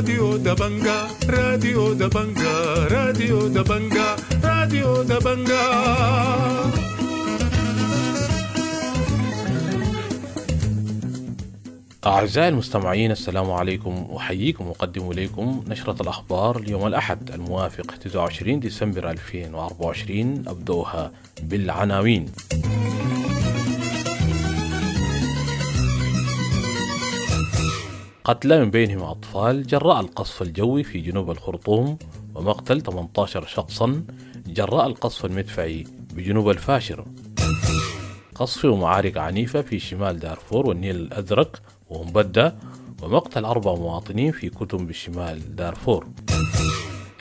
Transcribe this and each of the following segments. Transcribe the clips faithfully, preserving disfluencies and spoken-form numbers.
راديو دبنجا، راديو دبنجا، راديو دبنجا، راديو دبنجا. أعزائي المستمعين، السلام عليكم. أحييكم وأقدم إليكم نشرة الأخبار اليوم الأحد الموافق تسعة وعشرين ديسمبر ألفين وأربعة وعشرين، أبدأها بالعناوين. قتلى من بينهم أطفال جراء القصف الجوي في جنوب الخرطوم، ومقتل ثمانية عشر شخصا جراء القصف المدفعي بجنوب الفاشر. قصف ومعارك عنيفة في شمال دارفور والنيل الأزرق ومبدة، ومقتل أربع مواطنين في كتم بشمال دارفور.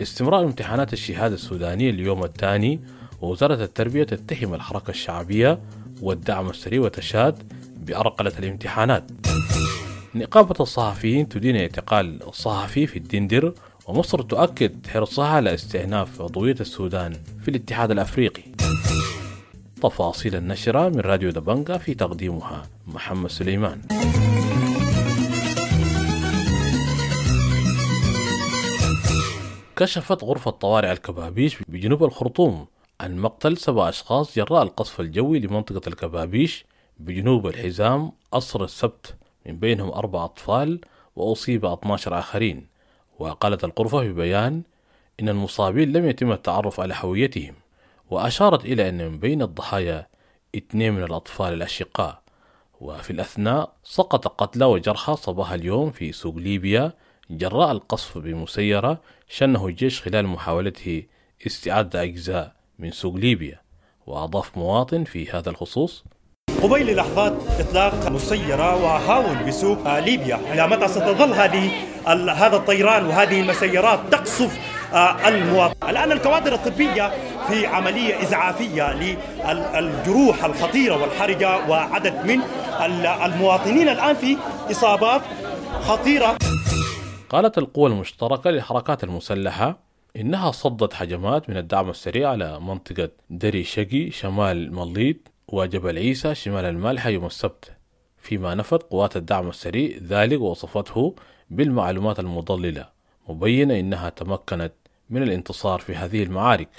استمرار امتحانات الشهادة السودانية اليوم الثاني، ووزارة التربية تتهم الحركة الشعبية والدعم السريع وتشاد بأرقلة الامتحانات. نقابة الصحفيين تدين اعتقال الصحفي في الدندر، ومصر تؤكد حرصها على استئناف عضوية السودان في الاتحاد الأفريقي. تفاصيل النشرة من راديو دبنجا في تقديمها محمد سليمان. كشفت غرفة طوارئ الكبابيش بجنوب الخرطوم عن مقتل سبع أشخاص جراء القصف الجوي لمنطقة الكبابيش بجنوب الحزام عصر السبت، من بينهم أربع أطفال وأصيب اثني عشر آخرين. وقالت الغرفة في بيان إن المصابين لم يتم التعرف على هويتهم، وأشارت إلى أن من بين الضحايا اثنين من الأطفال الأشقاء. وفي الأثناء سقط قتلى وجرحى صباح اليوم في سوق ليبيا جراء القصف بمسيرة شنه الجيش خلال محاولته استعادة أجزاء من سوق ليبيا. وأضاف مواطن في هذا الخصوص: قبيل لحظات إطلاق مسيرة وهاون بسوق ليبيا، إلى متى ستظل هذه هذا الطيران وهذه المسيرات تقصف المواطن؟ الآن الكوادر الطبية في عملية إسعافية للجروح الخطيرة والحرجة، وعدد من المواطنين الآن في إصابات خطيرة. قالت القوى المشتركة للحركات المسلحة إنها صدت هجمات من الدعم السريع على منطقة دري شقي شمال مليط وجبل عيسى شمال المالحة يوم السبت، فيما نفت قوات الدعم السريع ذلك ووصفته بالمعلومات المضللة، مبينة إنها تمكنت من الانتصار في هذه المعارك.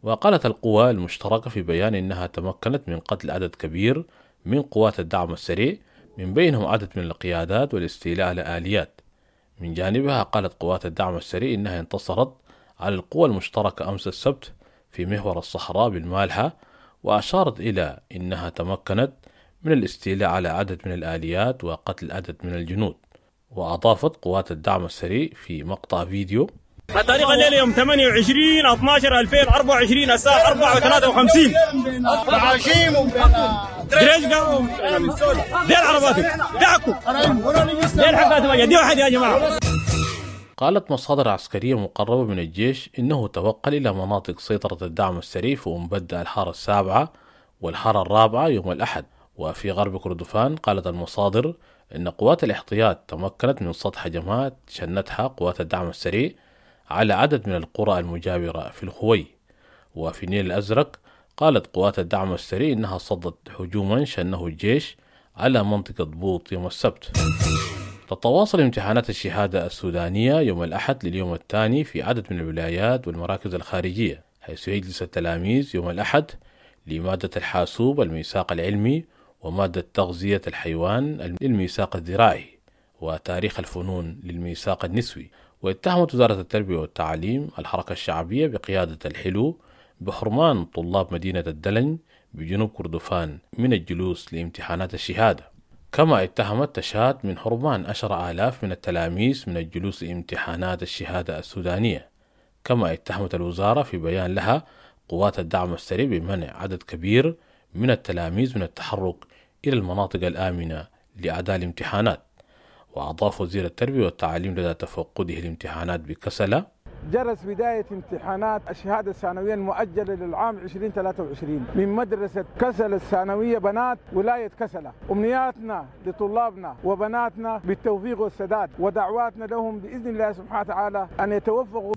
وقالت القوى المشتركة في بيان إنها تمكنت من قتل عدد كبير من قوات الدعم السريع، من بينهم عدد من القيادات والاستيلاء على آليات. من جانبها قالت قوات الدعم السريع إنها انتصرت على القوى المشتركة أمس السبت في محور الصحراء بالمالحة، وأشارت إلى إنها تمكنت من الاستيلاء على عدد من الآليات وقتل عدد من الجنود. وأضافت قوات الدعم السريع في مقطع فيديو: الطريقة الليلة يوم ثمانية وعشرين اثني عشر ألفين وأربعة وعشرين الساعة أربعة وثلاثة وخمسين يا جماعة. قالت مصادر عسكرية مقربة من الجيش إنه توقل إلى مناطق سيطرة الدعم السريع في أمبدة الحارة السابعة والحارة الرابعة يوم الأحد. وفي غرب كردفان قالت المصادر إن قوات الاحتياط تمكنت من صد هجمات شنتها قوات الدعم السريع على عدد من القرى المجاورة في الخوي. وفي النيل الأزرق قالت قوات الدعم السريع إنها صدت هجوما شنه الجيش على منطقة بوط يوم السبت. تتواصل امتحانات الشهادة السودانية يوم الأحد لليوم الثاني في عدد من الولايات والمراكز الخارجية، حيث يجلس التلاميذ يوم الأحد لمادة الحاسوب الميثاق العلمي، ومادة تغذية الحيوان للميثاق الزراعي، وتاريخ الفنون للميثاق النسوي. واتهمت وزارة التربية والتعليم الحركة الشعبية بقيادة الحلو بحرمان طلاب مدينة الدلن بجنوب كردفان من الجلوس لامتحانات الشهادة، كما اتهمت تشاد من حرمان عشر آلاف من التلاميذ من الجلوس لامتحانات الشهادة السودانية. كما اتهمت الوزارة في بيان لها قوات الدعم السريع بمنع عدد كبير من التلاميذ من التحرك إلى المناطق الآمنة لأداء الامتحانات. وأضاف وزير التربية والتعليم لدى تفقده الامتحانات بكسلة: جرس بداية امتحانات الشهادة الثانوية المؤجلة للعام ألفين وثلاثة وعشرين من مدرسة كسلة الثانوية بنات ولاية كسلة. أمنياتنا لطلابنا وبناتنا بالتوفيق والسداد، ودعواتنا لهم بإذن الله سبحانه وتعالى أن يتوفقوا.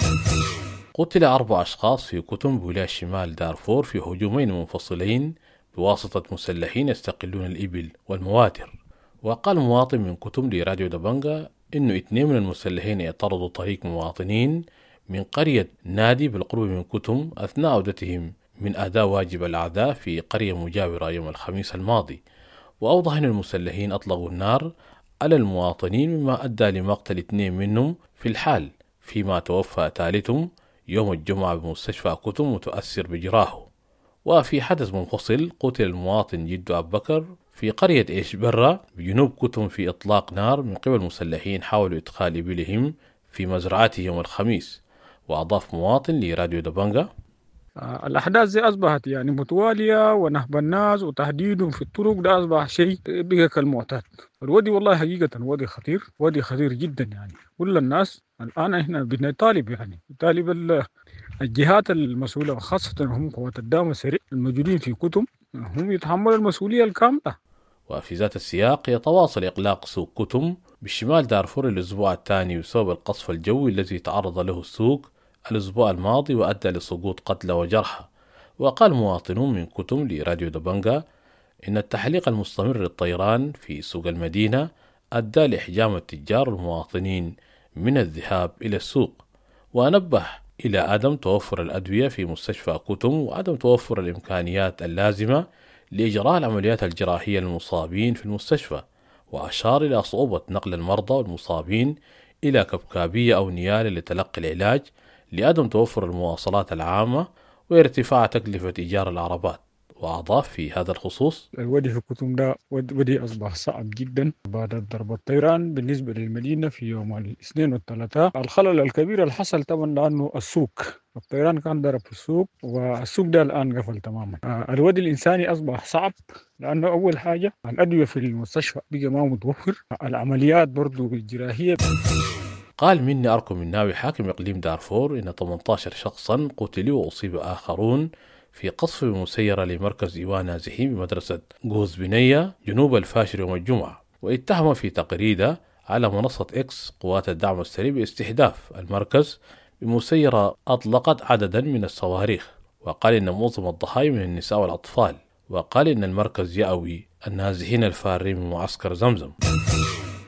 قتل أربع أشخاص في كتم بولاية شمال دارفور في هجومين منفصلين بواسطة مسلحين يستقلون الإبل والمواتر. وقال مواطن من كتم لراديو دبنجا إنه اثنين من المسلحين اعترضوا طريق مواطنين من قرية نادي بالقرب من كتم أثناء عودتهم من أداء واجب العزاء في قرية مجاورة يوم الخميس الماضي. وأوضح أن المسلحين أطلقوا النار على المواطنين مما أدى لمقتل اثنين منهم في الحال، فيما توفى ثالثهم يوم الجمعة بمستشفى كتم متأثر بجراحه. وفي حدث منفصل قتل المواطن جدو أبو بكر في قرية إيش برة بجنوب كتم في إطلاق نار من قبل مسلحين حاولوا إدخال إبلهم في مزرعته يوم الخميس. وأضاف مواطن لراديو دبنجا: الأحداث دي أصبحت يعني متوالية، ونهب الناس وتهديدهم في الطرق ده أصبح شيء بقى كالمعتاد. الودي والله حقيقة ودي خطير، ودي خطير جدا يعني. كل الناس الآن إحنا بنطالب يعني نطالب الجهات المسؤولة، وخاصة هم قوات الدعم السريع الموجودين في كتم، هم يتحملوا المسؤولية الكاملة. وفي ذات السياق يتواصل إغلاق سوق كتم بالشمال دارفور الأسبوع الثاني بسبب القصف الجوي الذي تعرض له السوق الأسبوع الماضي وأدى لسقوط قتلى وجرحى. وقال مواطنون من كتم لراديو دبنجا إن التحليق المستمر للطيران في سوق المدينة أدى لإحجام التجار والمواطنين من الذهاب إلى السوق. ونبه إلى عدم توفر الأدوية في مستشفى كتم وعدم توفر الإمكانيات اللازمة لإجراء العمليات الجراحية للمصابين في المستشفى، وأشار إلى صعوبة نقل المرضى والمصابين إلى كبكابية أو نيالة لتلقي العلاج لعدم توفر المواصلات العامة وارتفاع تكلفة إيجار العربات. وأضاف في هذا الخصوص: الودي في كتم ده ودي أصبح صعب جدا بعد ضرب الطيران بالنسبة للمدينة في يوم الاثنين والثلاثاء. الخلل الكبير اللي حصل طبعا لأنه السوق، الطيران كان ضرب في السوق، والسوق ده الآن قفل تماما. الودي الإنساني أصبح صعب لأنه أول حاجة الأدوية في المستشفى بقى ما متوفر، العمليات برضو الجراحية. قال مني أركو مناوي حاكم إقليم دارفور إن ثمانية عشر شخصا قتلوا وأصيب آخرون في قصف مسيرة لمركز إيواء نازحين بمدرسة جوز بنية جنوب الفاشر يوم الجمعة. واتهم في تغريدة على منصة إكس قوات الدعم السريع باستهداف المركز بمسيرة أطلقت عددا من الصواريخ. وقال إن معظم الضحايا من النساء والأطفال. وقال إن المركز يأوي النازحين الفارين من معسكر زمزم.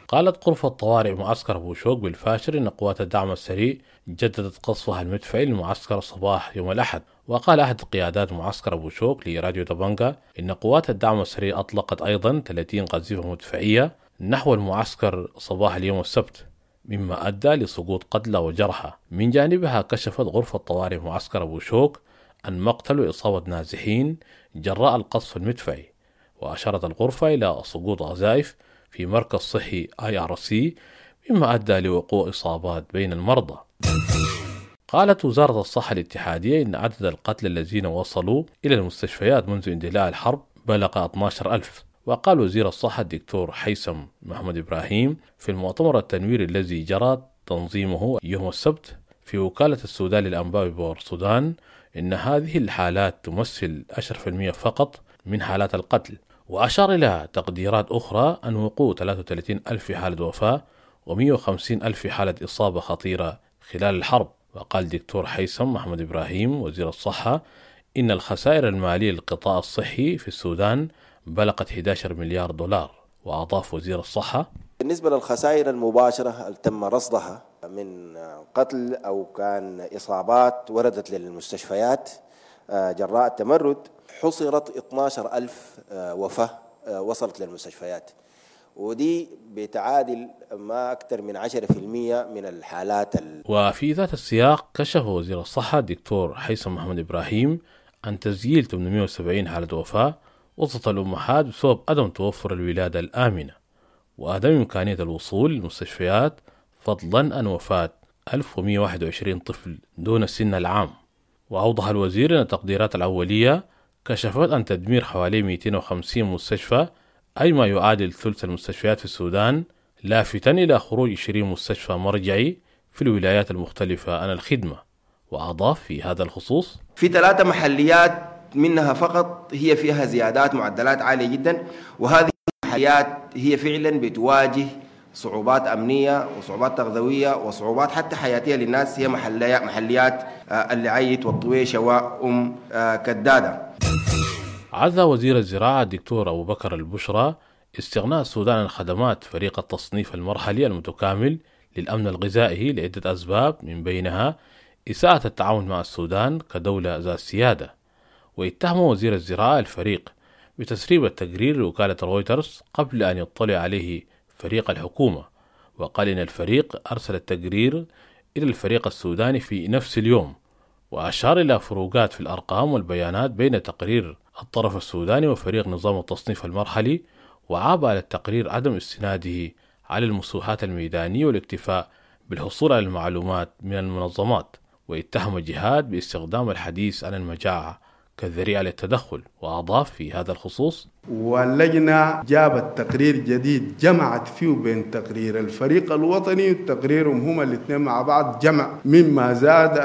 قالت غرفة طوارئ معسكر بوشوك بالفاشر إن قوات الدعم السريع جددت قصفها المدفعي للمعسكر صباح يوم الأحد. وقال أحد قيادات معسكر بوشوك لراديو دبنجا إن قوات الدعم السريع أطلقت أيضا ثلاثين قذيفة مدفعية نحو المعسكر صباح اليوم السبت، مما أدى لسقوط قتلى وجرحى. من جانبها كشفت غرفة طوارئ معسكر بوشوك عن مقتل وإصابة نازحين جراء القصف المدفعي. وأشارت الغرفة إلى سقوط قذائف في مركز صحي آي آر سي مما أدى لوقوع إصابات بين المرضى. قالت وزارة الصحة الاتحادية إن عدد القتلى الذين وصلوا إلى المستشفيات منذ اندلاع الحرب بلغ اثنا عشر ألف. وقال وزير الصحة الدكتور حيسم محمد إبراهيم في المؤتمر التنويري الذي جرى تنظيمه يوم السبت في وكالة السودان للأنباء بورسودان إن هذه الحالات تمثل عشرة بالمئة فقط من حالات القتل. وأشار إلى تقديرات أخرى أن وقوع ثلاثة وثلاثين ألف حالة وفاة ومئة وخمسين ألف حالة إصابة خطيرة خلال الحرب. وقال دكتور حيسم محمد إبراهيم وزير الصحة إن الخسائر المالية للقطاع الصحي في السودان بلغت أحد عشر مليار دولار. وأضاف وزير الصحة: بالنسبة للخسائر المباشرة اللي تم رصدها من قتل أو كان إصابات وردت للمستشفيات جراء التمرد، حصرت اثنا عشر ألف وفاة وصلت للمستشفيات، ودي بتعادل ما أكثر من عشرة بالمئة من الحالات ال... وفي ذات السياق كشف وزير الصحة الدكتور حيسم محمد إبراهيم عن تسجيل ثمانمئة وسبعين حالة وفاة وسط الأمهات بسبب عدم توفر الولادة الآمنة وعدم إمكانية الوصول للمستشفيات، فضلا عن وفاة ألف ومئة وواحد وعشرين طفل دون السن العام. وأوضح الوزير أن التقديرات الأولية كشفت عن تدمير حوالي مئتين وخمسين مستشفى، أي ما يعادل ثلث المستشفيات في السودان، لافتا إلى خروج عشرين مستشفى مرجعي في الولايات المختلفة عن الخدمة. وأضاف في هذا الخصوص: في ثلاثة محليات منها فقط هي فيها زيادات معدلات عالية جدا، وهذه المحليات هي فعلا بتواجه صعوبات أمنية وصعوبات تغذوية وصعوبات حتى حياتية للناس، هي محليات اللعيت والطويشة وأم كدادة. عزى وزير الزراعة الدكتور أبو بكر البشرى استغناء السودان عن خدمات فريق التصنيف المرحلي المتكامل للأمن الغذائي لعدة أسباب، من بينها إساءة التعامل مع السودان كدولة ذات سيادة. واتهم وزير الزراعة الفريق بتسريب التقرير لوكالة رويترز قبل أن يطلع عليه فريق الحكومة، وقال إن الفريق أرسل التقرير إلى الفريق السوداني في نفس اليوم، وأشار إلى فروقات في الأرقام والبيانات بين تقرير الطرف السوداني وفريق نظام التصنيف المرحلي، وعاب على التقرير عدم استناده على المسوحات الميدانية والاكتفاء بالحصول على المعلومات من المنظمات. واتهم جهاد باستخدام الحديث عن المجاعة كذريعة للتدخل، وأضاف في هذا الخصوص: واللجنة جابت تقرير جديد جمعت فيه بين تقرير الفريق الوطني وتقريرهم هما الاثنين مع بعض، جمع مما زاد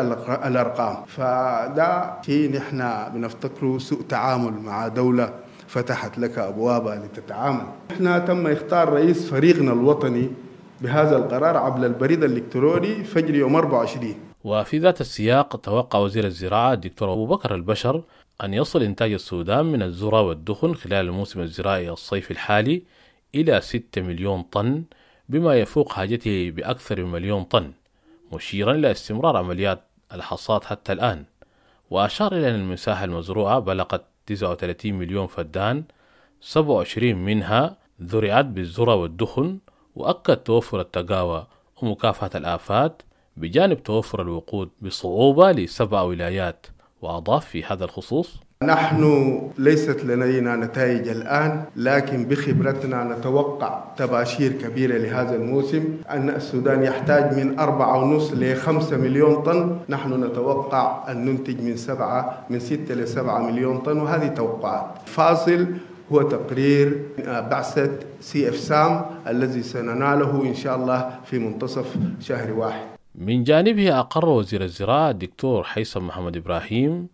الأرقام. فده شيء نحن بنفتكره سوء تعامل مع دولة فتحت لك أبوابها لتتعامل. نحن تم اختار رئيس فريقنا الوطني بهذا القرار عبر البريد الإلكتروني فجر يوم أربعة وعشرين. وفي ذات السياق توقع وزير الزراعة الدكتور أبو بكر البشر أن يصل إنتاج السودان من الذرة والدخن خلال الموسم الزراعي الصيفي الحالي إلى ستة مليون طن، بما يفوق حاجته بأكثر من مليون طن، مشيرا إلى استمرار عمليات الحصاد حتى الآن. وأشار إلى أن المساحة المزروعة بلغت تسعة وثلاثين مليون فدان، سبعة وعشرين منها زرعت بالذرة والدخن، وأكد توفر التقاوى ومكافحة الآفات بجانب توفر الوقود بصعوبة لسبع ولايات. وأضاف في هذا الخصوص: نحن ليست لدينا نتائج الآن، لكن بخبرتنا نتوقع تباشير كبيرة لهذا الموسم. أن السودان يحتاج من أربعة ونص لخمسة مليون طن، نحن نتوقع أن ننتج من سبعة من ستة لسبعة مليون طن، وهذه توقعات. فاصل هو تقرير بعثة سي اف سام الذي سنناله إن شاء الله في منتصف شهر واحد. من جانبه أقر وزير الزراعة الدكتور حيثم محمد إبراهيم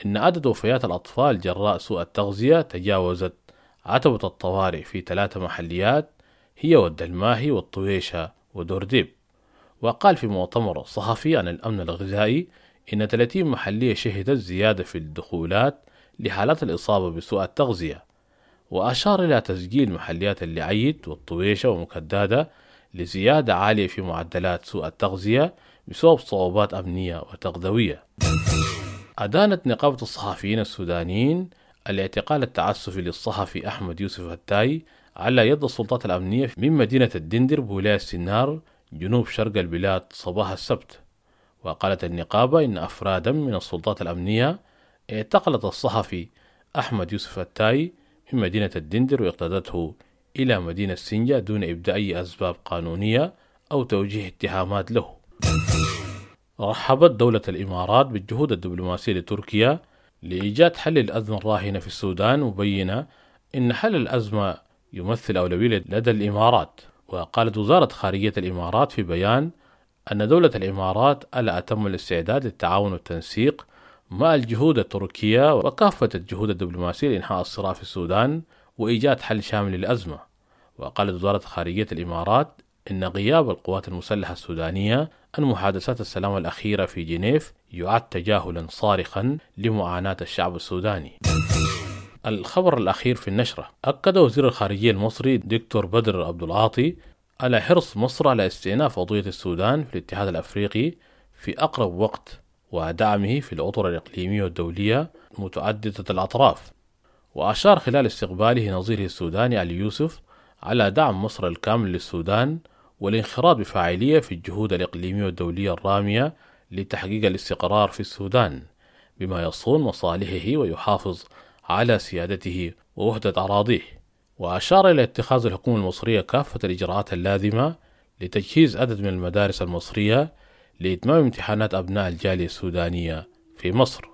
إن عدد وفيات الأطفال جراء سوء التغذية تجاوزت عتبة الطوارئ في ثلاث محليات هي والدلماهي والطويشة ودورديب. وقال في مؤتمر صحفي عن الأمن الغذائي إن ثلاثين محلية شهدت زيادة في الدخولات لحالات الإصابة بسوء التغذية، وأشار إلى تسجيل محليات اللعيد والطويشة ومكدادة لزيادة عالية في معدلات سوء التغذية بسبب صعوبات أمنية وتغذوية. أدانت نقابة الصحفيين السودانيين الاعتقال التعسفي للصحفي أحمد يوسف التاي على يد السلطات الأمنية من مدينة الدندر بولاية سنار جنوب شرق البلاد صباح السبت. وقالت النقابة إن أفرادا من السلطات الأمنية اعتقلت الصحفي أحمد يوسف التاي من مدينة الدندر واقتادته إلى مدينة سنجة دون إبداء أي أسباب قانونية أو توجيه اتهامات له. رحبت دولة الإمارات بالجهود الدبلوماسية لتركيا لإيجاد حل الأزمة الراهنة في السودان، مبينة إن حل الأزمة يمثل أولوية لدى الإمارات. وقالت وزارة خارجية الإمارات في بيان أن دولة الإمارات ألا أتم الاستعداد للتعاون والتنسيق مع الجهود التركية وكافة الجهود الدبلوماسية لإنهاء الصراع في السودان وإيجاد حل شامل للأزمة. وقالت وزارة خارجية الإمارات إن غياب القوات المسلحة السودانية عن محادثات السلام الأخيرة في جنيف يعد تجاهلا صارخا لمعاناة الشعب السوداني. الخبر الأخير في النشرة: أكد وزير الخارجية المصري دكتور بدر عبد العاطي على حرص مصر على استئناف قضية السودان في الاتحاد الأفريقي في أقرب وقت ودعمه في الأطر الإقليمية والدولية متعددة الأطراف. وأشار خلال استقباله نظيره السوداني علي يوسف على دعم مصر الكامل للسودان والانخراط بفاعلية في الجهود الإقليمية والدولية الرامية لتحقيق الاستقرار في السودان بما يصون مصالحه ويحافظ على سيادته ووحدة أراضيه. وأشار إلى اتخاذ الحكومة المصرية كافة الإجراءات اللازمة لتجهيز عدد من المدارس المصرية لإتمام امتحانات أبناء الجالية السودانية في مصر.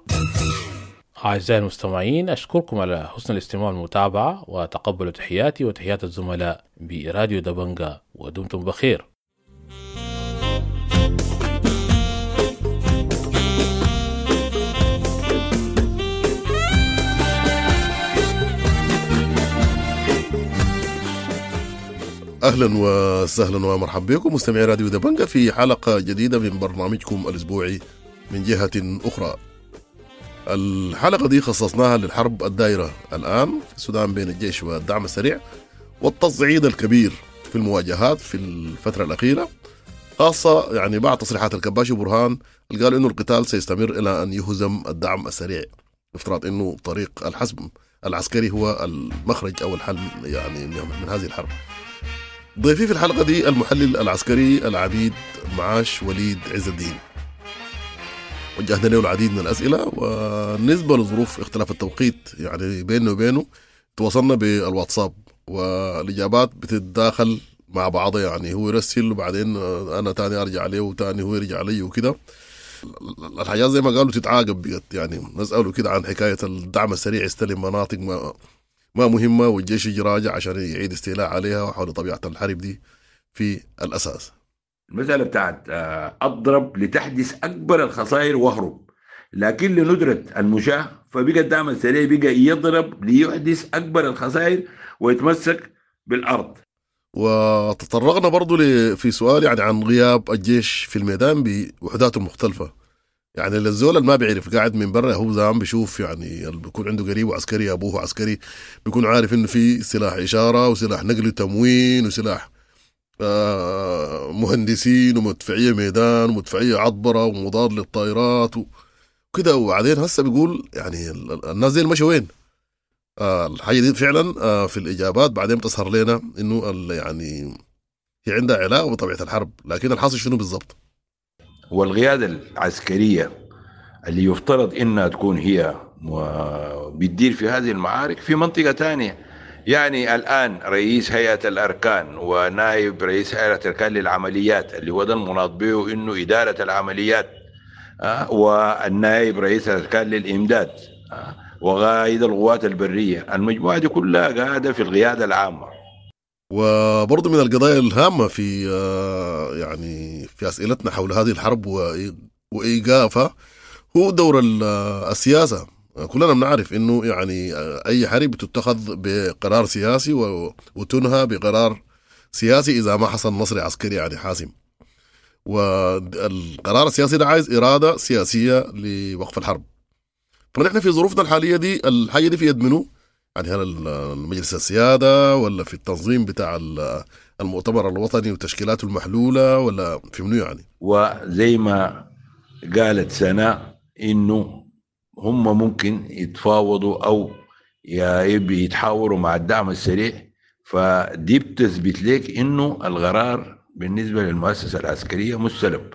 أعزائي المستمعين، أشكركم على حسن الاستماع والمتابعة، وتقبلوا تحياتي وتحيات الزملاء براديو دبنجا، ودمتم بخير. أهلا وسهلا ومرحبا بكم مستمعي راديو دبنجا في حلقة جديدة من برنامجكم الأسبوعي من جهة أخرى. الحلقة دي خصصناها للحرب الدائرة الآن في السودان بين الجيش والدعم السريع، والتصعيد الكبير في المواجهات في الفترة الأخيرة، خاصة يعني بعد تصريحات الكباشي وبرهان اللي قالوا إنه القتال سيستمر إلى أن يهزم الدعم السريع، بافتراض إنه طريق الحسم العسكري هو المخرج أو الحل يعني من هذه الحرب. ضيفي في الحلقة دي المحلل العسكري العميد معاش وليد عز الدين. وجهنا له العديد من الأسئلة، وبالنسبة لظروف اختلاف التوقيت يعني بينه وبينه تواصلنا بالواتساب والإجابات بتتداخل مع بعضها، يعني هو يرسل وبعدين أنا تاني أرجع عليه وتاني هو يرجع علي وكده. الحاجات زي ما قالوا تتعاقب بقت، يعني نسأله كده عن حكاية الدعم السريع يستلم مناطق ما ما مهمة والجيش يجي راجع عشان يعيد استيلاء عليها، وحول طبيعة الحرب دي في الأساس. المسألة بتاعت أضرب لتحدث أكبر الخسائر واهرب، لكن لندرة المشاة فبقى الدعم السريع بقى يضرب ليحدث أكبر الخسائر ويتمسك بالأرض. وتطرقنا برضو في سؤال يعني عن غياب الجيش في الميدان بوحداته المختلفة، يعني للزول اللي ما بيعرف قاعد من برا هو زمان بيشوف، يعني اللي بيكون عنده قريب عسكري أبوه عسكري بيكون عارف إنه في سلاح إشارة وسلاح نقل تموين وسلاح آه مهندسين ومدفعية ميدان ومدفعية عطبرة ومضاد للطائرات وكده. وبعدين هسه بيقول يعني الناس دي مشوا وين؟ آه الحاجة دي فعلا آه في الإجابات بعدين بتظهر لنا إنه يعني هي عندها علاقة بطبيعة الحرب، لكن الحاصل شنو بالضبط؟ والقيادة العسكرية اللي يفترض إنها تكون هي بتدير في هذه المعارك في منطقة تانية. يعني الآن رئيس هيئة الأركان ونائب رئيس هيئة الأركان للعمليات اللي هو ده المناط به إنه إدارة العمليات، أه والنائب رئيس الأركان للإمداد، أه وقائد القوات البرية، المجموعة دي كلها قاعدة في القيادة العامة. وبرضه من القضايا الهامة في يعني في أسئلتنا حول هذه الحرب وإيقافها هو دور السياسة. كلنا بنعرف إنه يعني أي حرب تتخذ بقرار سياسي وتنهى بقرار سياسي إذا ما حصل نصر عسكري يعني حاسم، والقرار السياسي ده عايز إرادة سياسية لوقف الحرب. فنحن في ظروفنا الحالية دي الحاجة دي في يد منو؟ يعني هل المجلس السيادة ولا في التنظيم بتاع المؤتمر الوطني وتشكيلاته المحلولة ولا في منو يعني؟ وزي ما قالت سناء إنه هم ممكن يتفاوضوا أو يتحاوروا مع الدعم السريع، فدي بتثبت لك إنه القرار بالنسبة للمؤسسة العسكرية مستلب.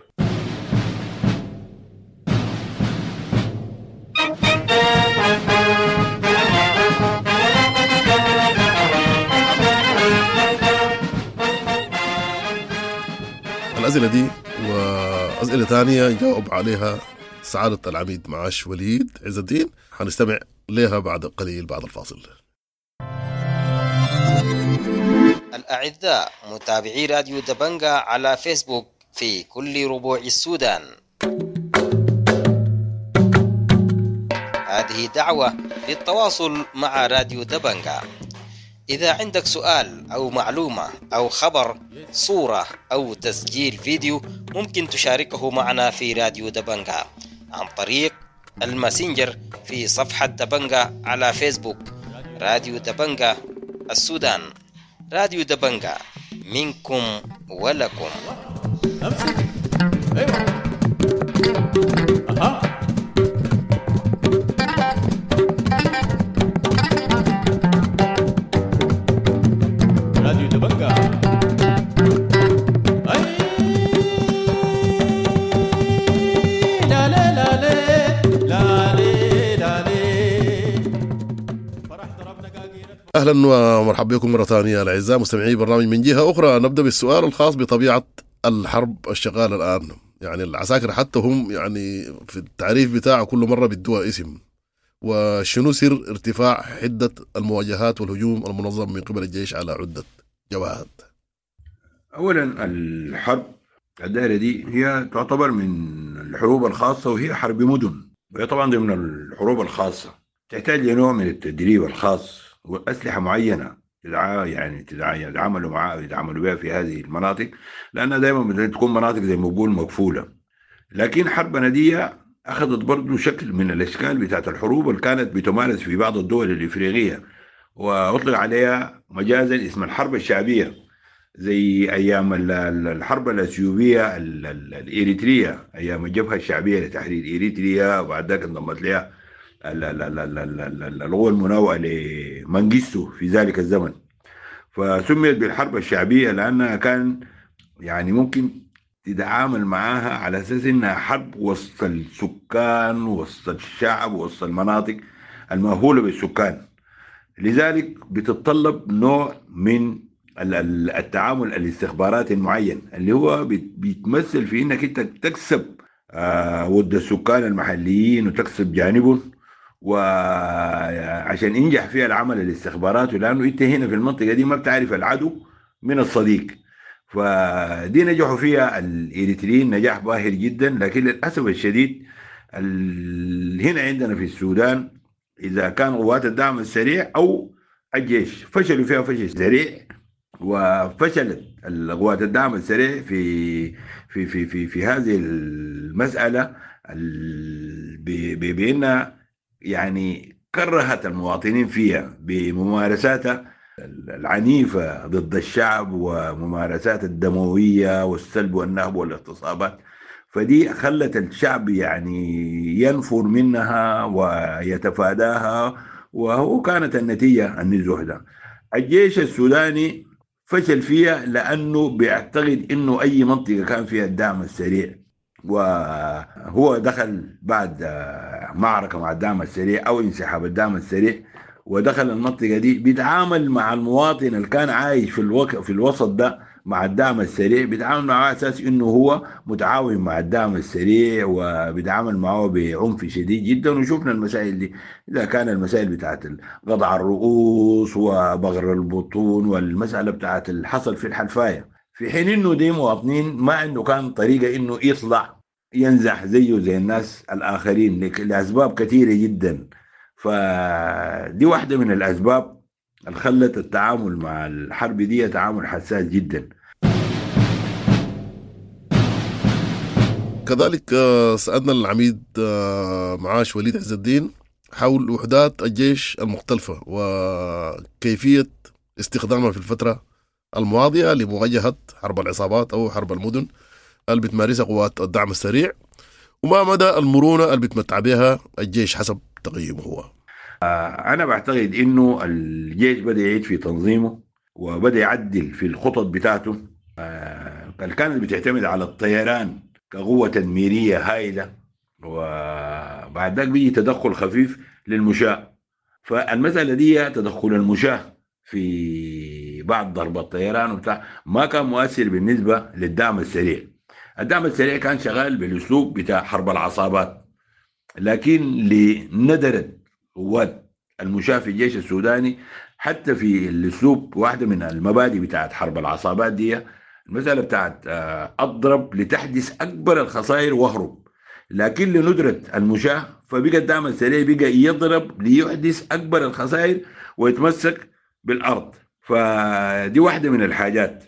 الأسئلة دي وأسئلة ثانية جاوب عليها سعادة العميد معاش وليد عز الدين، حنستمع لها بعد قليل بعد الفاصل. الأعزاء متابعي راديو دبنجا على فيسبوك في كل ربوع السودان، هذه دعوة للتواصل مع راديو دبنجا. إذا عندك سؤال أو معلومة أو خبر، صورة أو تسجيل فيديو، ممكن تشاركه معنا في راديو دبنجا عن طريق الماسنجر في صفحة دبنجا على فيسبوك. راديو دبنجا السودان، راديو دبنجا منكم ولكم. أها. راديو دبنجا. لا لا لا لا لا لا. اهلا ومرحبا بكم مرة ثانية الاعزاء مستمعي برنامج من جهة اخرى. نبدا بالسؤال الخاص بطبيعة الحرب الشغاله الان. يعني العساكر حتى هم يعني في التعريف بتاعه كل مرة بيدوها اسم، وشنو سر ارتفاع حده المواجهات والهجوم المنظم من قبل الجيش على عده جبهات؟ اولا الحرب الدائرة دي هي تعتبر من الحروب الخاصة، وهي حرب مدن، وهي طبعا ضمن الحروب الخاصة، تحتاج لنوع من التدريب الخاص وأسلحة معينة تدعى يعني تدعى يتعاملوا معها ويتعاملوا بها في هذه المناطق، لأنها دائما تكون مناطق زي ما بقول مقفولة. لكن حربنا دي أخذت برضو شكل من الأشكال بتاعت الحروب اللي كانت بتمارس في بعض الدول الإفريقية، وأطلق عليها مجازا اسم الحرب الشعبية، زي أيام الحرب الأثيوبية الإريترية، أيام الجبهة الشعبية لتحرير إريتريا، وبعد ذاك انضمت لها القوى المناوئة لمنجستو في ذلك الزمن. فسميت بالحرب الشعبية لأنها كان يعني ممكن تتعامل معاها على أساس إنها حرب وسط السكان، وسط الشعب، وسط المناطق المأهولة بالسكان. لذلك بتتطلب نوع من التعامل الاستخباراتي المعين اللي هو بيتمثل في إنك أنت تكسب ود السكان المحليين وتكسب جانبهم، وعشان ينجح فيها العمل الاستخباراتي، لأنه أنت هنا في المنطقة دي ما بتعرف العدو من الصديق. فدي نجحوا فيها الإريتريين نجاح باهر جدا، لكن للأسف الشديد هنا عندنا في السودان إذا كان قوات الدعم السريع أو الجيش فشلوا فيها فشل سريع، وفشلت قوات الدعم السريع في في في في في هذه المسألة بأنها يعني كرهت المواطنين فيها بممارساتها العنيفة ضد الشعب وممارسات الدموية والسلب والنهب والاغتصابات. فدي خلت الشعب يعني ينفر منها ويتفاداها، وهو كانت النتيجة النزوح ده. الجيش السوداني فشل فيها لأنه بيعتقد إنه أي منطقة كان فيها الدعم السريع، وهو دخل بعد معركة مع الدعم السريع أو انسحاب الدعم السريع ودخل المنطقة دي، بيتعامل مع المواطن اللي كان عايش في الوك... في الوسط ده مع الدعم السريع، بيتعامل معه على أساس إنه هو متعاون مع الدعم السريع، وبيتعامل معه بعنف شديد جدا. وشوفنا المسائل دي، إذا كان المسائل بتاعت قطع الرؤوس وبغر البطون والمسألة بتاعت اللي حصل في الحلفاية، في حين إنه دي مواطنين ما عنده كان طريقة إنه يطلع ينزح زيه زي الناس الآخرين لأسباب كثيرة جدا. فدي واحدة من الأسباب اللي خلت التعامل مع الحرب دي تعامل حساس جدا. كذلك سألنا العميد معاش وليد عز الدين حول وحدات الجيش المختلفة وكيفية استخدامها في الفترة الماضية لمواجهة حرب العصابات أو حرب المدن اللي بتمارسها قوات الدعم السريع، وما مدى المرونة اللي بتمتع بها الجيش حسب تقييمه هو. أنا بعتقد إنه الجيش بدأ يعيد في تنظيمه وبدأ يعدل في الخطط بتاعته اللي كانت بتعتمد على الطيران كقوة تدميرية هائلة، وبعد ذلك بيجي تدخل خفيف للمشاة. فالمسألة دي تدخل المشاة في بعض ضرب الطيران وبتاع ما كان مؤثر بالنسبة للدعم السريع. الدعم السريع كان شغال بالأسلوب بتاع حرب العصابات، لكن لندرة قوات المشاة في الجيش السوداني حتى في الأسلوب، واحدة من المبادئ بتاعت حرب العصابات دي المسألة بتاعت أضرب لتحدث أكبر الخسائر واهرب، لكن لندرة المشاة فبقى الدعم السريع بقى يضرب ليحدث أكبر الخسائر ويتمسك بالأرض. فدي واحدة من الحاجات،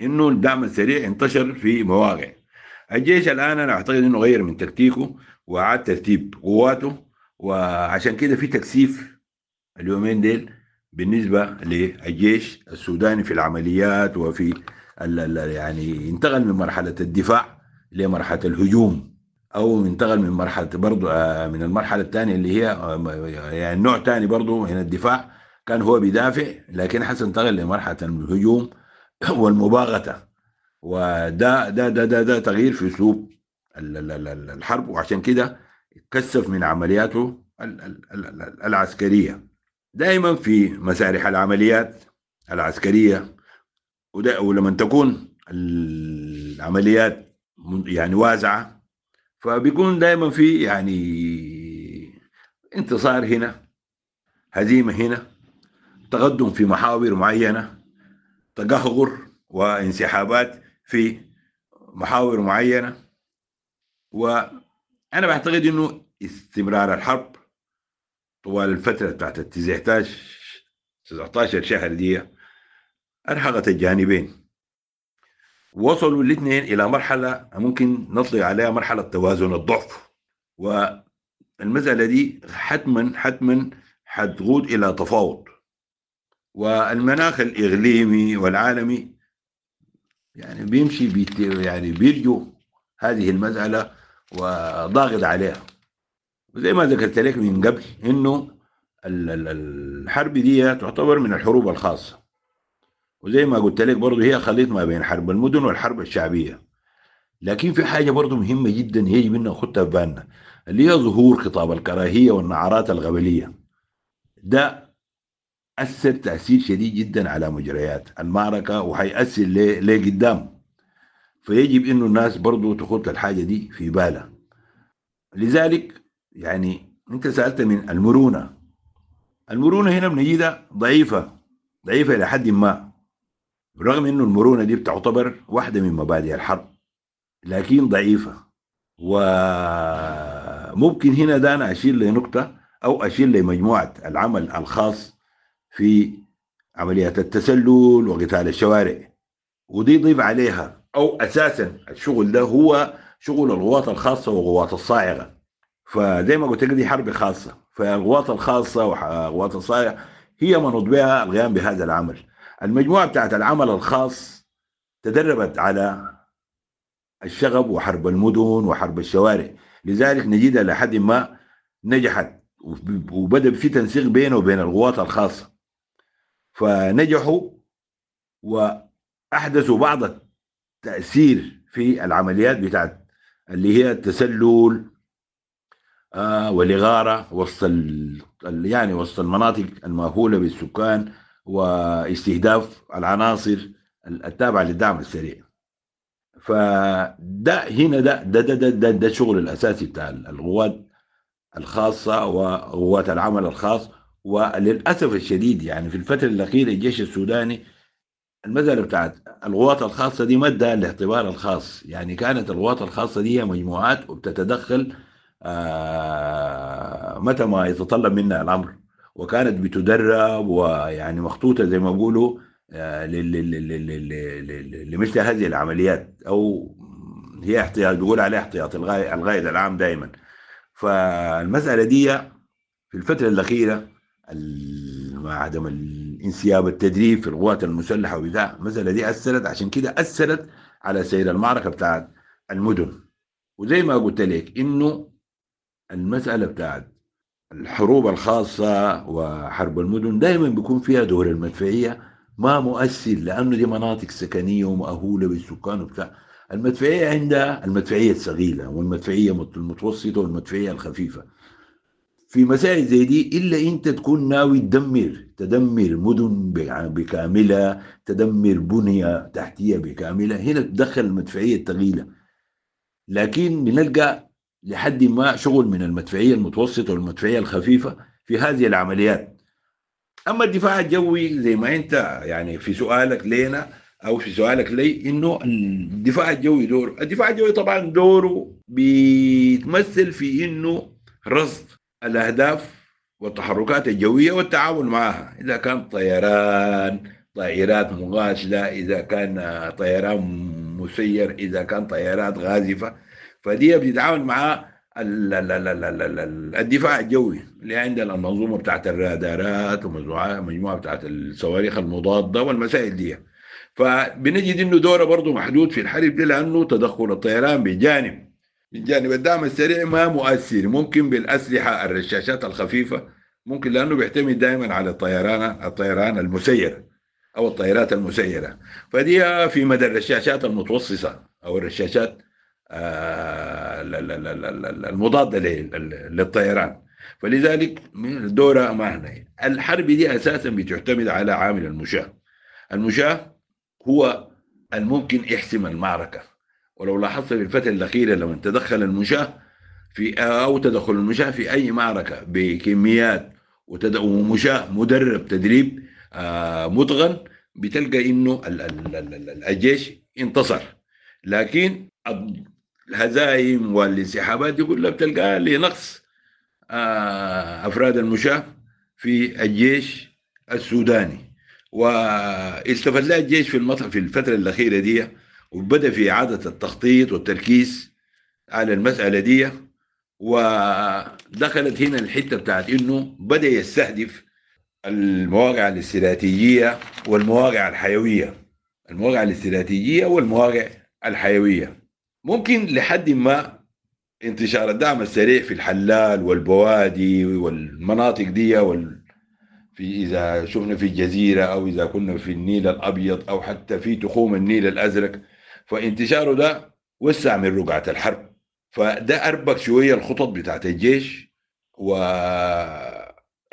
إنه الدعم السريع انتشر في مواقع. الجيش الآن أنا أعتقد إنه غير من تكتيكه وعاد ترتيب قواته، وعشان كده في تكثيف اليومين ديل بالنسبة للجيش السوداني في العمليات، وفي ال ال يعني انتقل من مرحلة الدفاع لمرحلة الهجوم، أو انتقل من مرحلة برضو من المرحلة الثانية اللي هي يعني نوع ثاني برضو من الدفاع، كان هو بيدافع لكن حسن انتقل لمرحلة الهجوم والمباغتة، وده ده ده ده, ده تغيير في أسلوب الحرب، وعشان كده كثف من عملياته العسكرية. دائما في مسارح العمليات العسكرية، ولما تكون العمليات يعني واسعة فبيكون دائما في يعني انتصار هنا، هزيمة هنا، تقدم في محاور معينة، تقهقر وانسحابات في محاور معينة. وأنا بعتقد إنه استمرار الحرب طوال الفترة بتاعت التسعة عشر شهر دي أرهقت الجانبين، وصلوا الاثنين إلى مرحلة ممكن نطلق عليها مرحلة توازن الضعف، والمسألة دي حتما حتما حتقود إلى تفاوض. والمناخ الإقليمي والعالمي يعني بيمشي بيت يعني بيرجو هذه المسألة وضاغط عليها. وزي ما ذكرت لك من قبل إنه الحرب دي تعتبر من الحروب الخاصة، وزي ما قلت لك برضه هي خليط ما بين حرب المدن والحرب الشعبية. لكن في حاجة برضه مهمة جدا يجب أن ناخدها في بالنا، اللي هي ظهور خطاب الكراهية والنعرات الغبلية. ده أثر تأثير شديد جدا على مجريات المعركة وحيأثر لقدام، فيجب إنه الناس برضو تخط الحاجة دي في بالها. لذلك يعني أنت سألت من المرونة، المرونة هنا بنجدها ضعيفة ضعيفة إلى حد ما، رغم إنه المرونة دي بتعتبر واحدة من مبادئ الحرب، لكن ضعيفة. وممكن هنا ده أنا أشير لنقطة أو أشير لمجموعة العمل الخاص في عمليات التسلل وقتال الشوارع، ودي ضيف عليها أو أساسا الشغل ده هو شغل الغواط الخاصة وغواط الصاعقة. فزي ما قلت لك دي حرب خاصة، فالغواط الخاصة وغواط الصاعقة هي منوط بها القيام بهذا العمل. المجموعة بتاعت العمل الخاص تدربت على الشغب وحرب المدن وحرب الشوارع، لذلك نجدها لحد ما نجحت، وبدأ في تنسيق بينه وبين الغواط الخاصة، فنجحوا وأحدثوا بعض التأثير في العمليات بتاعت اللي هي التسلل آه والإغارة وسط يعني وسط المناطق المأهولة بالسكان واستهداف العناصر التابعة للدعم السريع. فده هنا ده ده ده ده, ده, ده الشغل الأساسي بتاع الغوات الخاصة وغوات العمل الخاص. وللأسف الشديد يعني في الفترة الأخيرة الجيش السوداني المسألة بتاعت الغوات الخاصة دي ما ادى الاعتبار الخاص، يعني كانت الغوات الخاصة دي مجموعات وبتتدخل آه متى ما يتطلب منها الأمر، وكانت بتدرب ويعني مخطوطة زي ما بيقولوا آه لمثل هذه العمليات، أو هي احتياط بيقول عليها احتياط الغايد العام دائما. فالمسألة دي في الفترة الأخيرة مع عدم الانسياب التدريب في القوات المسلحة وبتاع، المسألة دي أثرت، عشان كده أثرت على سير المعركة بتاعت المدن. وزي ما قلت لك إنه المسألة بتاعت الحروب الخاصة وحرب المدن دائما بيكون فيها دور المدفعية ما مؤثر، لأنه دي مناطق سكنية ومأهولة بالسكان وبتاع. المدفعية عندها المدفعية الثقيلة والمدفعية المتوسطة والمدفعية الخفيفة. في مسائل زي دي إلا أنت تكون ناوي تدمر تدمر مدن بكاملة، تدمر بنية تحتية بكاملة، هنا تدخل المدفعية الثقيلة. لكن بنلقى لحد ما شغل من المدفعية المتوسطة والمدفعية الخفيفة في هذه العمليات. أما الدفاع الجوي زي ما أنت يعني في سؤالك لنا أو في سؤالك لي إنه الدفاع الجوي دوره، الدفاع الجوي طبعا دوره بيتمثل في إنه رصد الأهداف والتحركات الجوية والتعامل معها، إذا كان طيران، طائرات مقاتلة، إذا كان طيران مسير، إذا كان طيارات غازفة، فدي بتتعامل مع الدفاع الجوي اللي عندنا المنظومة بتاعت الرادارات ومجموعة بتاعت الصواريخ المضادة والمسائل دي. فبنجد انه دوره برضه محدود في الحرب دي، لانه تدخل الطيران بجانب من جانب الدعم السريع ما مؤثر، ممكن بالاسلحة الرشاشات الخفيفة ممكن، لانه بيعتمد دائما على الطيران الطيران المسير او الطائرات المسيرة، فدي في مدى الرشاشات المتوسطة او الرشاشات المضادة للطيران، فلذلك الدورة ما هنا. الحرب دي اساسا بتعتمد على عامل المشاة، المشاة هو الممكن يحسم المعركة. ولو لاحظت في الفترة الاخيرة لما تدخل المشاة في او تدخل المشاة في اي معركة بكميات ومشاة مدرب تدريب متقن، بتلقى انه الجيش انتصر. لكن الهزايم والانسحابات دي كلها بتلقاها لنقص افراد المشاة في الجيش السوداني. واستفاد لها الجيش في المطر في الفترة الاخيرة دي، وبدا في اعاده التخطيط والتركيز على المسالة دي، ودخلت هنا الحتة بتاعت انه بدا يستهدف المواقع الاستراتيجية والمواقع الحيوية. المواقع الاستراتيجية والمواقع الحيوية ممكن لحد ما انتشار الدعم السريع في الحلال والبوادي والمناطق دي وال... في إذا شفنا في الجزيرة أو إذا كنا في النيل الأبيض أو حتى في تخوم النيل الأزرق، فانتشاره ده وسع من رقعة الحرب، فده أربك شوية الخطط بتاعت الجيش.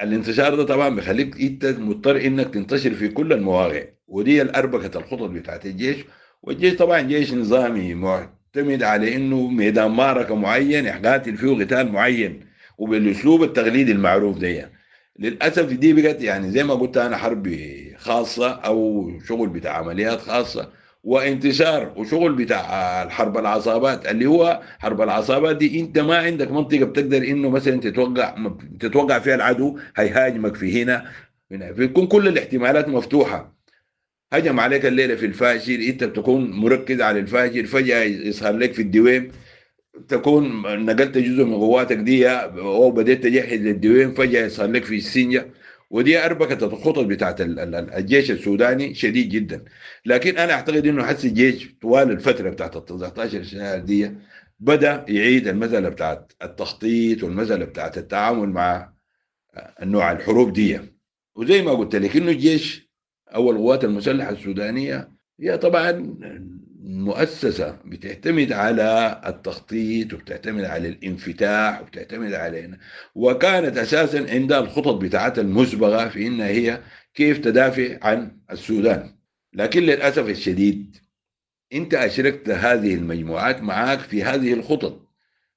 والانتشار ده طبعا بيخليك انت مضطر انك تنتشر في كل المواقع، ودي الأربكة الخطط بتاعت الجيش. والجيش طبعا جيش نظامي معتمد على انه ميدان معركة معين يقاتل فيه قتال معين وبالاسلوب التقليدي المعروف ده. للاسف دي بقت يعني زي ما قلت انا حرب خاصة او شغل بتاع عمليات خاصة وانتشار وشغل بتاع الحرب العصابات، اللي هو حرب العصابات دي انت ما عندك منطقة بتقدر انه مثلا تتوقع تتوقع فيها العدو هيهاجمك في هنا هنا، بيكون كل الاحتمالات مفتوحة. هجم عليك الليلة في الفاشر، انت بتكون مركز على الفاشر، فجاة يظهر لك في الدويم، تكون نقلت جزء من قواتك دي او بديت تجهز للدويم، فجاة يظهر لك في السنجه. ودي اربكت الخطط بتاعت الجيش السوداني شديد جدا. لكن انا اعتقد انه حس الجيش طوال الفترة بتاعت ال تسعتاشر شهر دي بدا يعيد المسالة بتاعت التخطيط والمسالة بتاعت التعامل مع النوع الحروب دي. وزي ما قلت لك انه الجيش او القوات المسلحة السودانية هي طبعا مؤسسة بتعتمد على التخطيط وبتعتمد على الانفتاح وبتعتمد على، وكانت اساسا عندها الخطط بتاعتها المسبقة في انها هي كيف تدافع عن السودان. لكن للاسف الشديد انت اشركت هذه المجموعات معاك في هذه الخطط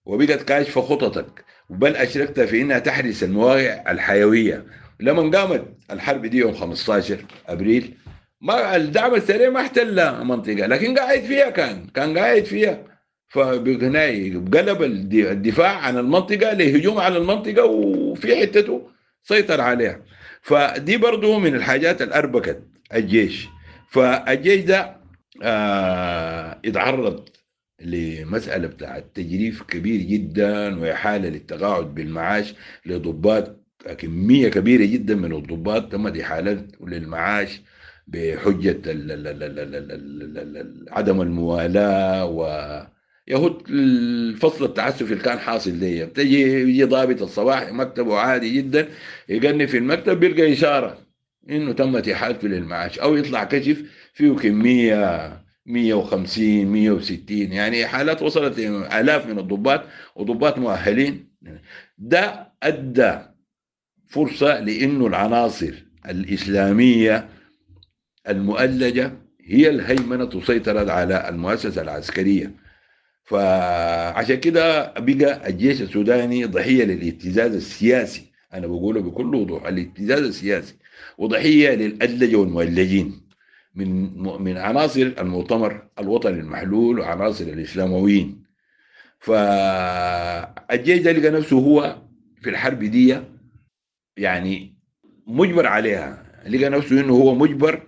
وبقت كاشفة خططك، بل اشركت في انها تحرس المواقع الحيوية. لما قامت الحرب دي يوم خمستاشر ابريل ما الدعم السريع ما احتل منطقة، لكن قاعد فيها، كان كان قاعد فيها، فبهناي قلب الدفاع عن المنطقة لهجوم على المنطقة وفي حتته سيطر عليها. فدي برضو من الحاجات اللي اربكت الجيش. فالجيش ده آه اتعرض لمسالة بتاعت تجريف كبير جدا واحاله للتقاعد بالمعاش لضباط، كمية كبيرة جدا من الضباط تمت احالتهم للمعاش بحجة عدم الموالاة ويهود الفصل التعسفي اللي كان حاصل دي. بتجي يجي ضابط الصباح مكتبه عادي جدا، يقني في المكتب بيلقى إشارة إنه تمت إحالته للمعاش، أو يطلع كشف فيه كمية مية وخمسين مية وستين، يعني حالات وصلت آلاف من الضباط وضباط مؤهلين. ده أدى فرصة لإنه العناصر الإسلامية المؤلجة هي الهيمنة تسيطر على المؤسسة العسكرية. فعشان كده بقى الجيش السوداني ضحية للابتزاز السياسي، أنا بقوله بكل وضوح، الابتزاز السياسي، وضحية للأدلجة والمؤلجين من من عناصر المؤتمر الوطني المحلول وعناصر الإسلامويين. فالجيش ده لقى نفسه هو في الحرب دي يعني مجبر عليها، لقى نفسه إنه هو مجبر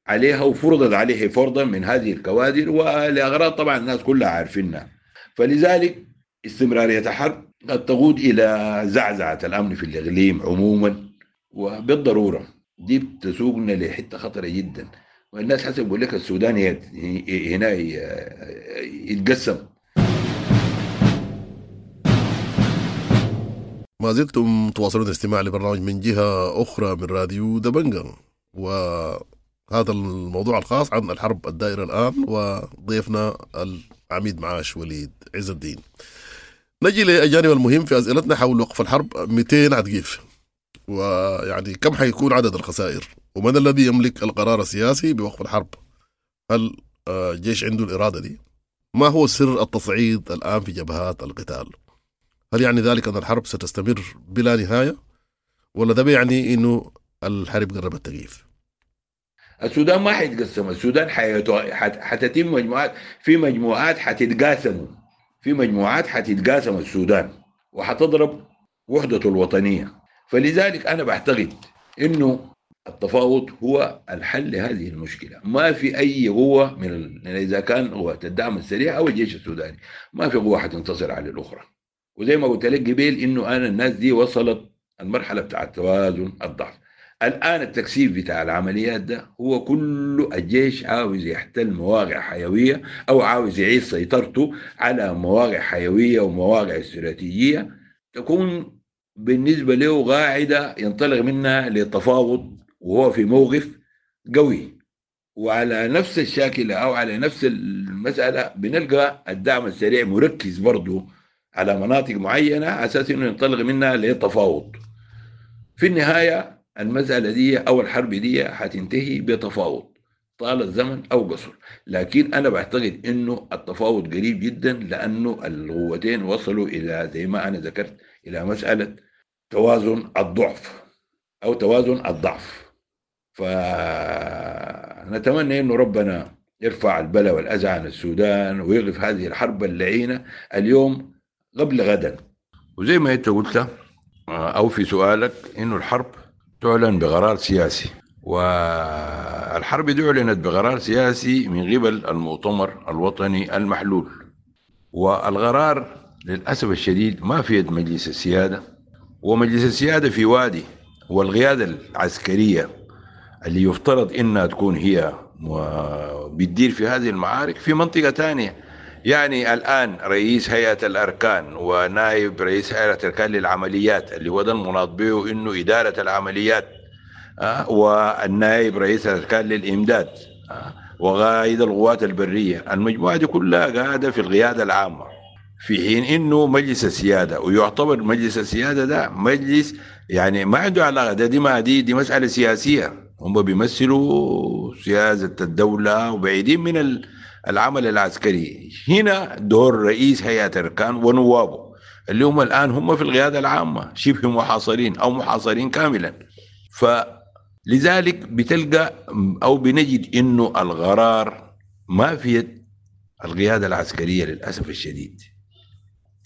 عليها وفرضت عليه فرضا من هذه الكوادر ولأغراض طبعا الناس كلها عارفينها. فلذلك استمرارية الحرب قد تقود إلى زعزعة الأمن في الإقليم عموما، وبالضرورة دي بتسوقنا لحتة خطرة جدا. والناس حسب يقول لك السودان هنا يتقسم. ما زلتم تواصلون الاستماع لبرنامج من جهة أخرى من راديو دبنجا، و هذا الموضوع الخاص عن الحرب الدائرة الآن، وضيفنا العميد معاش وليد عز الدين. نجي للجانب المهم في أسئلتنا حول وقف الحرب. مئتين عتقيف، ويعني كم حيكون عدد الخسائر، ومن الذي يملك القرار السياسي بوقف الحرب؟ هل الجيش عنده الإرادة دي؟ ما هو سر التصعيد الآن في جبهات القتال؟ هل يعني ذلك أن الحرب ستستمر بلا نهاية، ولا ده بيعني إنه الحرب قربت تقيف؟ السودان ما حيتقسم، السودان حتتم مجموعات، في مجموعات حتتقاسموا، في مجموعات حتتقاسم السودان وحتضرب وحدته الوطنية. فلذلك أنا بعتقد إنه التفاوض هو الحل لهذه المشكلة. ما في أي قوة من ال... إذا كان قوة الدعم السريع أو الجيش السوداني، ما في قوة حتنتصر على الأخرى. وزي ما قلت لك قبل إنه أنا الناس دي وصلت المرحلة بتاعت توازن الضعف. الآن التكثيف بتاع العمليات ده هو كل الجيش عاوز يحتل مواقع حيوية أو عاوز يعيد سيطرته على مواقع حيوية ومواقع استراتيجية تكون بالنسبة له قاعدة ينطلق منها للتفاوض وهو في موقف قوي. وعلى نفس الشاكلة أو على نفس المسألة بنلقى الدعم السريع مركز برضو على مناطق معينة على أساس إنه ينطلق منها للتفاوض. في النهاية المسألة دي أو الحرب دي حتنتهي بتفاوض طال الزمن أو قصر، لكن أنا بعتقد إنه التفاوض قريب جدا، لأنه القوتين وصلوا إلى زي ما أنا ذكرت إلى مسألة توازن الضعف أو توازن الضعف. فنتمنى إنه ربنا يرفع البلاء والأذى عن السودان ويقف هذه الحرب اللعينة اليوم قبل غدا. وزي ما أنت قلت أو في سؤالك إنه الحرب تعلن بقرار سياسي، والحرب دي أعلنت بقرار سياسي من قبل المؤتمر الوطني المحلول، والقرار للأسف الشديد ما في يد مجلس السيادة، ومجلس السيادة في وادي، والقيادة العسكرية اللي يفترض إنها تكون هي بتدير في هذه المعارك في منطقة تانية. يعني الآن رئيس هيئة الأركان ونائب رئيس هيئة الأركان للعمليات اللي هو ده المناط به إنه إدارة العمليات، أه والنائب رئيس الأركان للإمداد، أه وقائد القوات البرية، المجموعة دي كلها قاعدة في القيادة العامة، في حين إنه مجلس السيادة، ويعتبر مجلس السيادة ده مجلس يعني ما عنده علاقة، ده دي ما دي دي مسألة سياسية، هم بيمثلوا سياسة الدولة وبعيدين من العمل العسكري. هنا دور رئيس هيئة الأركان ونوابه اللي هم الآن هم في القيادة العامة شبه محاصرين أو محاصرين كاملا. فلذلك بتلقى أو بنجد إنه القرار ما في يد القيادة العسكرية للأسف الشديد،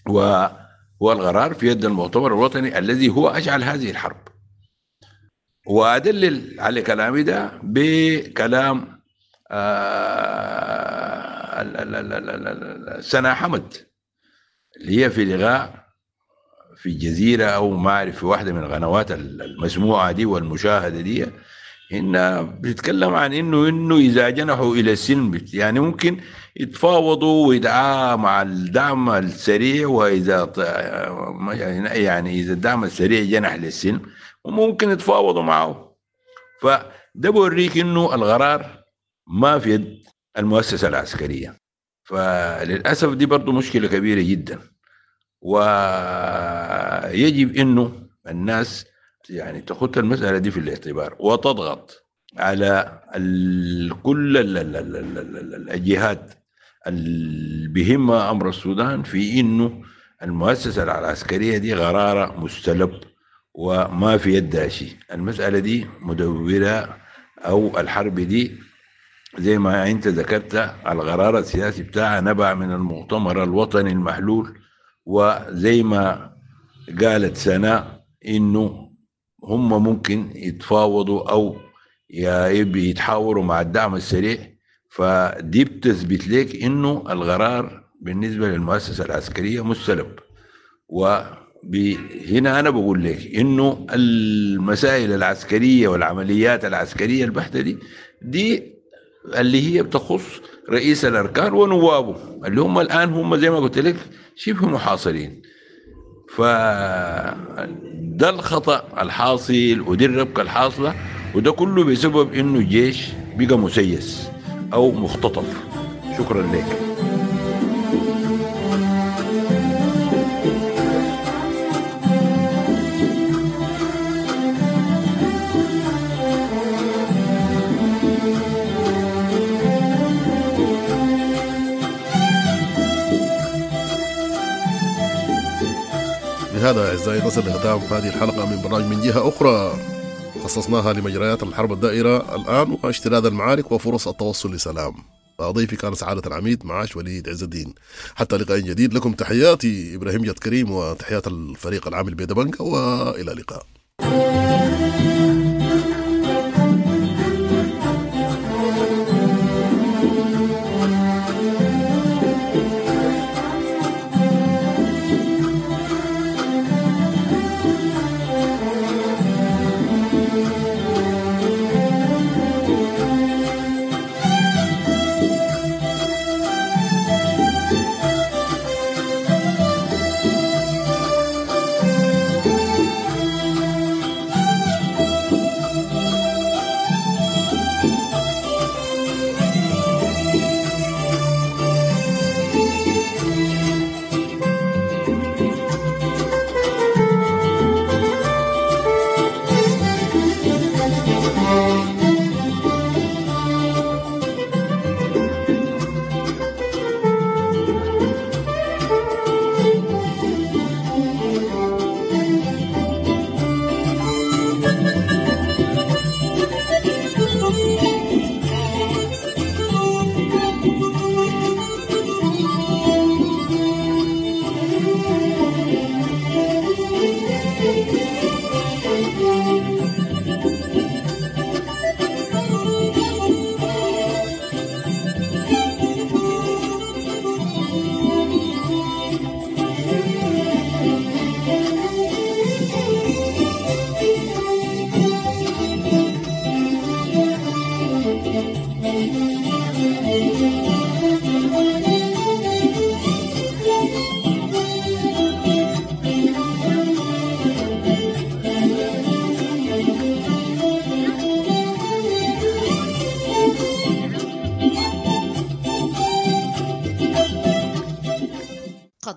وهو القرار في يد المؤتمر الوطني الذي هو أشعل هذه الحرب. وأدلل على كلامي ده بكلام آه سنا حمد اللي هي في لقاء في الجزيرة أو ما أعرف في واحدة من القنوات المسموعة دي والمشاهدة دي، إن بتتكلم عن إنه إنه إذا جنحوا إلى السلم يعني ممكن يتفاوضوا ويدعى مع الدعم السريع، وإذا يعني إذا الدعم السريع جنح للسلم وممكن يتفاوضوا معه. فده بوريك إنه القرار ما في يد المؤسسة العسكرية. فللأسف دي برضو مشكلة كبيرة جدا، ويجب إنه الناس يعني تخط المسألة دي في الاعتبار وتضغط على كل الجهات اللي بهمها أمر السودان في إنه المؤسسة العسكرية دي قرارها مستلب وما في يدها شيء. المسألة دي مدورة أو الحرب دي زي ما أنت ذكرت القرار السياسي بتاعها نبع من المؤتمر الوطني المحلول، وزي ما قالت سناء إنه هم ممكن يتفاوضوا أو يتحاوروا مع الدعم السريع. فدي بتثبت لك إنه القرار بالنسبة للمؤسسة العسكرية مستلب. وهنا أنا بقول لك إنه المسائل العسكرية والعمليات العسكرية البحتة دي دي اللي هي بتخص رئيس الأركان ونوابه اللي هم الآن هم زي ما قلت لك شبه محاصرين. فده الخطأ الحاصل ودي الربكة الحاصلة، وده كله بسبب إنه الجيش بقى مسيس أو مختطف. شكرا لك. بهذا أعزائي نصل لختام هذه الحلقة من برنامج من جهة أخرى، خصصناها لمجريات الحرب الدائرة الآن واشتداد المعارك وفرص التوصل لسلام. ضيفي كان سعادة العميد معاش وليد عز الدين. حتى لقاء جديد، لكم تحياتي إبراهيم جد كريم وتحيات الفريق العامل بيدبنك، وإلى اللقاء.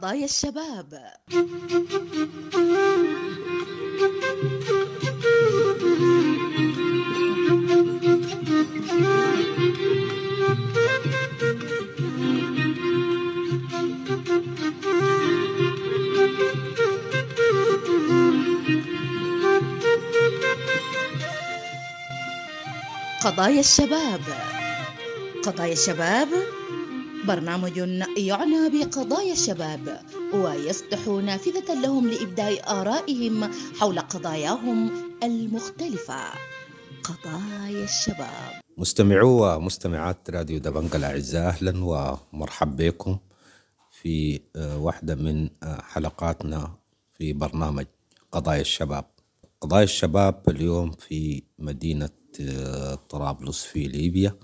قضايا الشباب. قضايا الشباب، قضايا الشباب برنامج يعنى بقضايا الشباب ويفتح نافذة لهم لإبداء آرائهم حول قضاياهم المختلفة. قضايا الشباب. مستمعو ومستمعات راديو دبنجا الأعزاء، أهلا ومرحبا بكم في واحدة من حلقاتنا في برنامج قضايا الشباب. قضايا الشباب اليوم في مدينة طرابلس في ليبيا.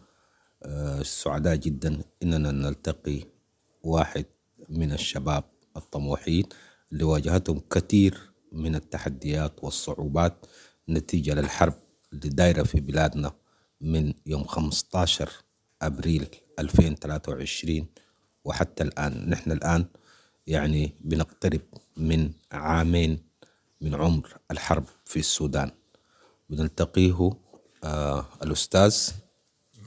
سعداء جدا إننا نلتقي واحد من الشباب الطموحين اللي واجهتهم كثير من التحديات والصعوبات نتيجة للحرب اللي دايرة في بلادنا من يوم خمسة عشر أبريل ألفين وثلاثة وعشرين وحتى الآن. نحن الآن يعني بنقترب من عامين من عمر الحرب في السودان. بنلتقيه آه الأستاذ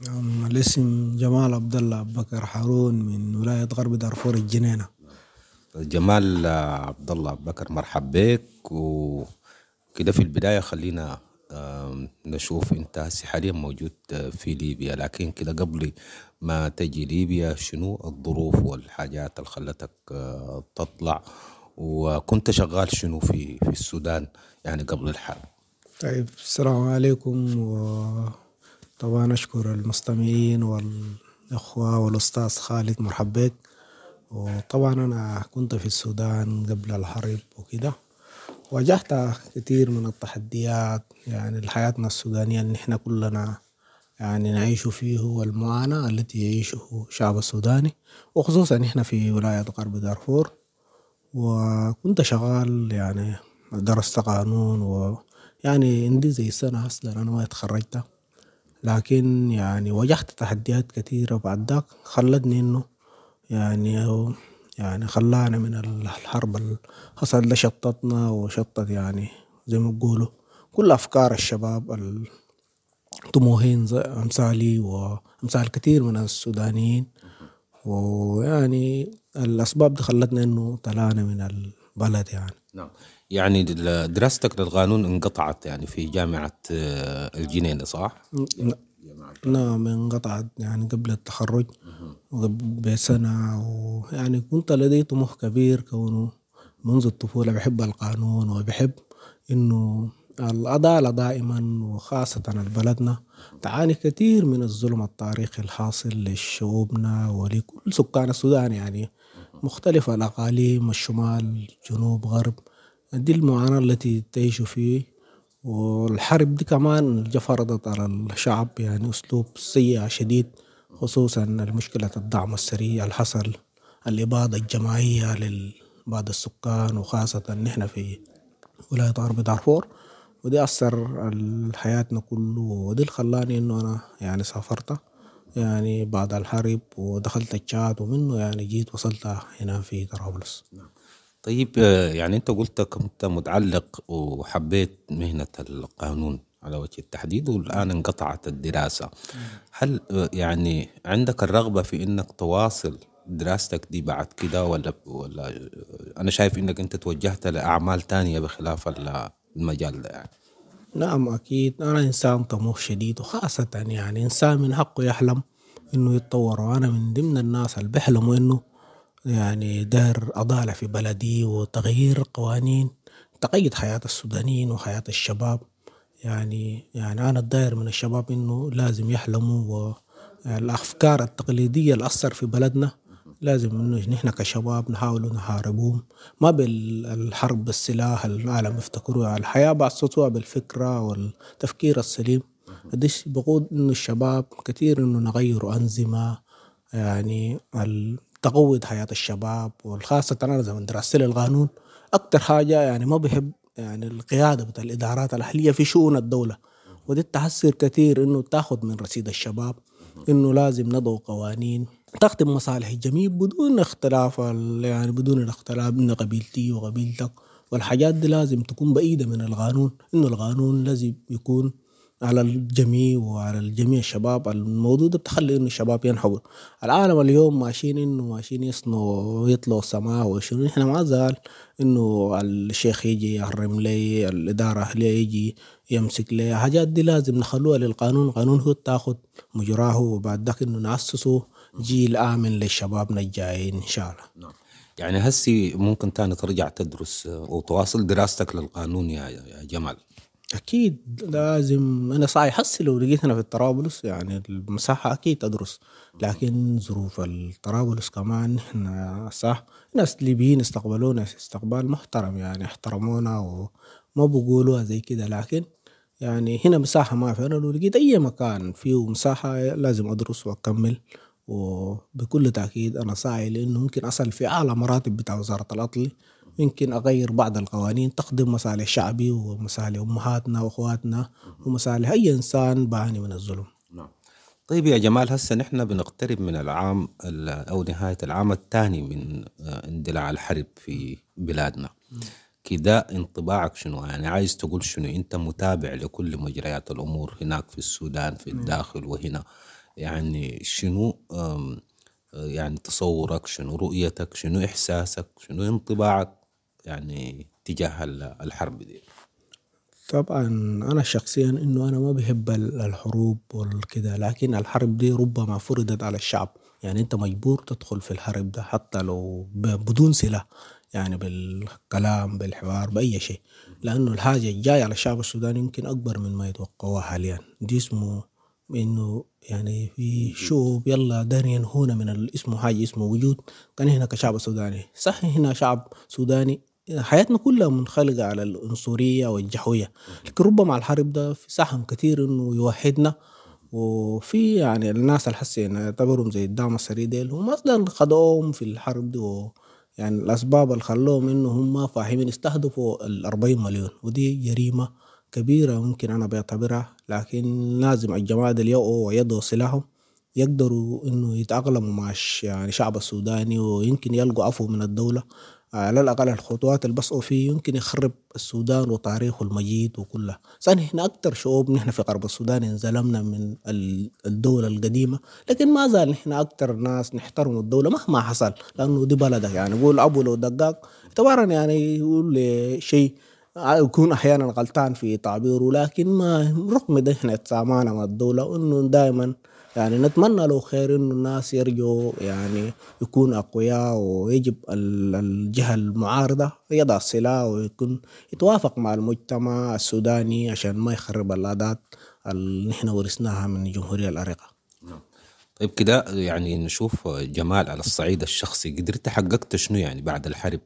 نعم، الاسم جمال عبد الله بكر هارون من ولاية غرب دارفور الجنينة. جمال عبد الله بكر، مرحب بك. وكده في البداية خلينا نشوف، انت هسه حاليا موجود في ليبيا، لكن كده قبل ما تجي ليبيا شنو الظروف والحاجات اللي خلتك آه، تطلع، وكنت شغال شنو في في السودان يعني قبل الحرب؟ طيب، السلام عليكم، وطبعا أشكر المستمعين والأخوة والأستاذ خالد، مرحب بك. وطبعا أنا كنت في السودان قبل الحرب وكده، واجهت كثير من التحديات، يعني حياتنا السودانية اللي نحن كلنا يعني نعيش فيه، والمعاناة التي يعيشه الشعب السوداني، وخصوصا نحن في ولاية غرب دارفور. وكنت شغال، يعني درست قانون، ويعني عندي زي سنة أصلا أنا ما اتخرجت، لكن يعني واجهت تحديات كثيرة بعد ذاك خلتني إنه يعني يعني خلانا من الحرب اللي حصل ده شتتنا وشتت يعني زي ما بيقولوا كل أفكار الشباب الطموحين زي أمثالي وأمثال كثير من السودانيين. ويعني الأسباب دي خلتنا إنه طلعنا من البلد يعني. نعم، يعني دراستك للقانون انقطعت يعني في جامعة آه، الجنينة، صح؟ نعم، انقطعت يعني قبل التخرج بسنة. ويعني كنت لدي طموح كبير كونه منذ الطفولة بحب القانون وبحب إنه العدالة دائما، وخاصة بلدنا تعاني كثير من الظلم التاريخي الحاصل لشعوبنا ولكل سكان السودان، يعني مختلف الأقاليم، الشمال، جنوب، غرب. دي المعاناة التي تعيش فيه. والحرب دي كمان فرضت على الشعب يعني أسلوب سيء شديد، خصوصا المشكلة الدعم السريع اللي حصل، الإبادة الجماعية لبعض السكان، وخاصة نحن في ولاية غرب دارفور، ودي أثر على حياتنا كله. ودي اللي خلاني إنه أنا يعني سافرت يعني بعد الحرب ودخلت التشاد، ومنه يعني جيت وصلت هنا في طرابلس. طيب، يعني انت قلت كنت متعلق وحبيت مهنة القانون على وجه التحديد، والآن انقطعت الدراسة. هل يعني عندك الرغبة في انك تواصل دراستك دي بعد كده، ولا ولا انا شايف انك انت توجهت لاعمال تانية بخلاف المجال ده يعني؟ نعم أكيد، أنا إنسان طموح شديد، وخاصة يعني إنسان من حقه يحلم إنه يتطور، وأنا من ضمن الناس اللي بيحلموا إنه يعني داير عدالة في بلدي وتغيير قوانين تقيد حياة السودانيين وحياة الشباب. يعني يعني أنا الداير من الشباب إنه لازم يحلموا، والأفكار التقليدية اللي أثر في بلدنا لازم إنه نحن كشباب نحاول نحاربهم، ما بالحرب بالسلاح العالم يفتكروها، الحياة بأسسوها بالفكرة والتفكير السليم. ديش بقود إنه الشباب كثير إنه نغيروا أنظمة يعني تقوض حياة الشباب. وخاصة أنا زمن دراستي للقانون أكتر حاجة يعني ما بحب يعني القيادة بتاع الإدارات الأهلية في شؤون الدولة. ودي تحسر كثير إنه تاخذ من رصيد الشباب، إنه لازم نضع قوانين تخدم مصالح الجميع بدون اختلاف يعني بدون الاختلاف من قبيلتي وقبيلتك، والحاجات دي لازم تكون بعيدة من القانون، إنه القانون لازم يكون على الجميع وعلى الجميع الشباب. الموضوع ده بتخلي إنه الشباب ينهضوا. العالم اليوم ماشيين إنه ماشيين يصنعوا ويطلعوا السماء وشنو، نحن ما زال إنه الشيخ يجي يحرم لي، الإدارة أهلية يجي يمسك لي، حاجات دي لازم نخلوها للقانون، القانون هو تاخد مجراه، وبعد ذاك إنه نأسسه جيل آمن للشبابنا الجايين إن شاء الله. نعم. يعني هسي ممكن تاني ترجع تدرس وتواصل دراستك للقانون يا جمال؟ أكيد لازم، أنا صحيح هسي لو لقيت أنا في الطرابلس يعني المساحة أكيد أدرس، لكن ظروف الطرابلس كمان إحنا صح ناس ليبيين استقبلونا استقبال محترم، يعني احترمونا وما بقولوها زي كده، لكن يعني هنا مساحة ما في. أنا لو لقيت أي مكان فيه مساحة لازم أدرس وأكمل، وبكل تأكيد أنا ساعي لأنه ممكن أصل في أعلى مراتب بتاع وزارة العدل، يمكن أغير بعض القوانين تخدم مصالح شعبي ومصالح أمهاتنا وأخواتنا ومصالح أي إنسان بعاني من الظلم. نعم. طيب يا جمال، هسه نحن بنقترب من العام أو نهاية العام الثاني من اندلاع الحرب في بلادنا، كده انطباعك شنو؟ يعني عايز تقول شنو؟ أنت متابع لكل مجريات الأمور هناك في السودان في الداخل وهنا، يعني شنو يعني تصورك، شنو رؤيتك، شنو إحساسك، شنو انطباعك يعني تجاه الحرب دي؟ طبعا أنا شخصيا إنه أنا ما بحب الحروب والكده، لكن الحرب دي ربما فرضت على الشعب، يعني أنت مجبور تدخل في الحرب ده حتى لو بدون سلاح، يعني بالكلام بالحوار بأي شيء، لأنه الحاجة الجاية على الشعب السوداني يمكن أكبر من ما يتوقعوها حاليا. دي اسمه إنه يعني في شعوب يلا دارين ينهونا من الاسم حاجة اسمه وجود، كان هنا كشعب سوداني صح، هنا شعب سوداني حياتنا كلها منخلقة على العنصرية والجحوية، لكن ربما الحرب ده في سهم كثير إنه يوحدنا. وفي يعني الناس اللي حسين يعتبرهم زي الدعم السريع ديل هم أصلا خدوهم في الحرب دي، و يعني الأسباب اللي خلوهم إنه هم فاهمين استهدفوا الأربعين مليون، ودي جريمة كبيرة ممكن أنا بعتبرها، لكن لازم الجماعة ديل يقعوا ويضعوا سلاحهم يقدروا إنه يتأقلموا مع يعني الشعب السوداني، ويمكن يلقوا عفو من الدولة على الأقل. الخطوات اللي بسقوا فيه يمكن يخرب السودان وتاريخه المجيد وكلها. نحن أكثر شعوب نحن في غرب السودان انظلمنا من الدولة القديمة، لكن ما زال نحن أكثر ناس نحترم الدولة مهما حصل، لأنه دي بلدك. يعني يقول أبو لو دقاق اعتبارا يعني يقول شيء يكون أحيانا غلطان في تعبيره، لكن ما رغم ده إحنا تسامعنا مع الدولة، وإنه دائما يعني نتمنى له خير إنه الناس يرجعوا يعني يكون أقوياء، ويجب الجهة المعارضة يضع السلاح ويكون يتوافق مع المجتمع السوداني عشان ما يخرب العادات اللي نحن ورثناها من الجمهورية العريقة. طيب كده يعني نشوف جمال على الصعيد الشخصي، قدرت حققت شنو يعني بعد الحرب؟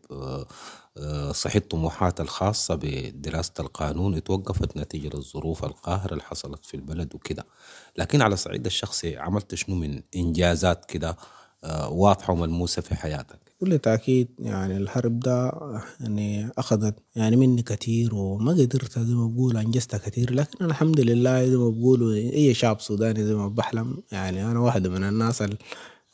صحيح طموحات الخاصة بدراسة القانون اتوقفت نتيجة للظروف القاهرة اللي حصلت في البلد وكده، لكن على الصعيد الشخصي عملت شنو من إنجازات كده واضحة وملموسة في حياتك؟ بكل تأكيد يعني الحرب ده يعني أخذت يعني مني كثير، وما قدرت زي ما بقول أنجزتها كثير، لكن الحمد لله زي ما بقولوا أي شعب سوداني زي ما بحلم، يعني أنا واحدة من الناس اللي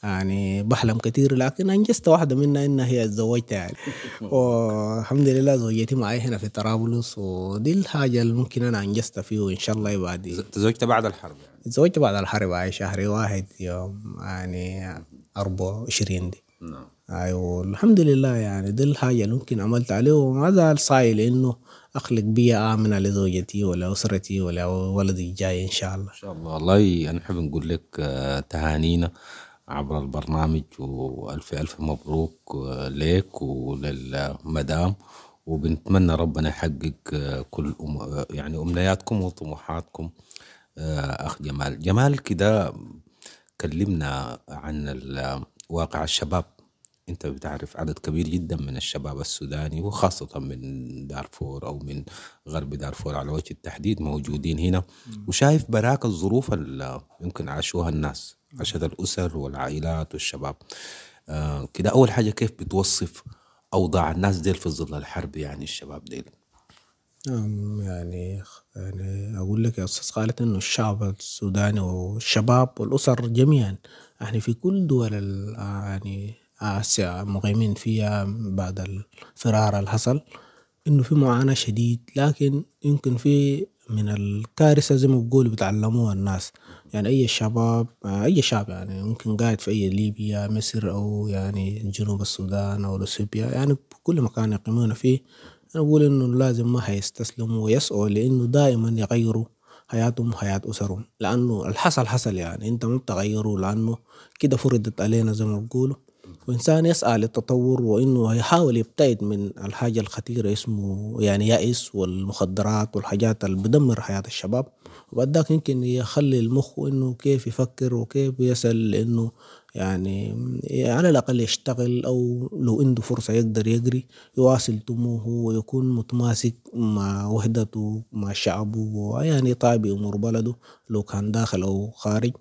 يعني بحلم كثير، لكن أنجزت واحدة منها إنها هي اتزوجت يعني والحمد لله زوجتي معي هنا في طرابلس، ودي الحاجة اللي ممكن أنا أنجزتها فيه، وإن شاء الله بعد. تزوجت بعد الحرب يعني؟ تزوجت بعد الحرب هاي شهر واحد يوم يعني أربعة وعشرين دي. نعم. أيوة الحمد لله يعني دي الحاجة اللي ممكن عملت عليه، وما زال صايل لأنه أخلق بيئة آمنة لزوجتي ولا أسرتي ولا ولدي الجاي إن شاء الله. إن شاء الله. والله أنا حاب نقول لك تهانينا عبر البرنامج، وألف ألف مبروك لك وللمدام، وبنتمنى ربنا يحقق كل أم يعني أمنياتكم وطموحاتكم. أخ جمال، جمال كده كلمنا عن واقع الشباب. أنت بتعرف عدد كبير جدا من الشباب السوداني وخاصة من دارفور أو من غرب دارفور على وجه التحديد موجودين هنا، وشايف براك الظروف اللي يمكن عاشوها الناس، عاشت الأسر والعائلات والشباب. آه كده أول حاجة كيف بتوصف أوضاع الناس ديل في ظل الحرب يعني الشباب ديل؟ نعم، يعني يعني أقول لك يا أستاذ خالد إنه الشعب السوداني والشباب والأسر جميعا يعني في كل دول يعني آسيا مقيمين فيها بعد الفرار اللي حصل، إنه في معاناة شديد، لكن يمكن في من الكارثة زي ما بيقولوا بيتعلموها الناس. يعني أي شباب، أي شعب يعني ممكن قاعد في أي ليبيا، مصر، أو يعني جنوب السودان أو إثيوبيا، يعني كل مكان يقيمون فيه، أنا بقول إنه لازم ما حيستسلموا ويسعوا لإنه دائما يغيروا حياتهم وحياة أسرهم، لأنه الحصل حصل، يعني أنت ما بتغيره لأنه كده فرضت علينا زي ما بيقولوا. وإنسان يسعى للتطور وإنه يحاول يبتعد من الحاجة الخطيرة اسمه يعني يأس والمخدرات والحاجات اللي بدمر حياة الشباب، وبعد ذاك يمكن يخلي المخ إنه كيف يفكر وكيف يصل لإنه يعني على الأقل يشتغل، أو لو عنده فرصة يقدر يجري يواصل طموحه ويكون متماسك مع وحدته مع شعبه، ويعني يطابق أمور بلده لو كان داخل أو خارج.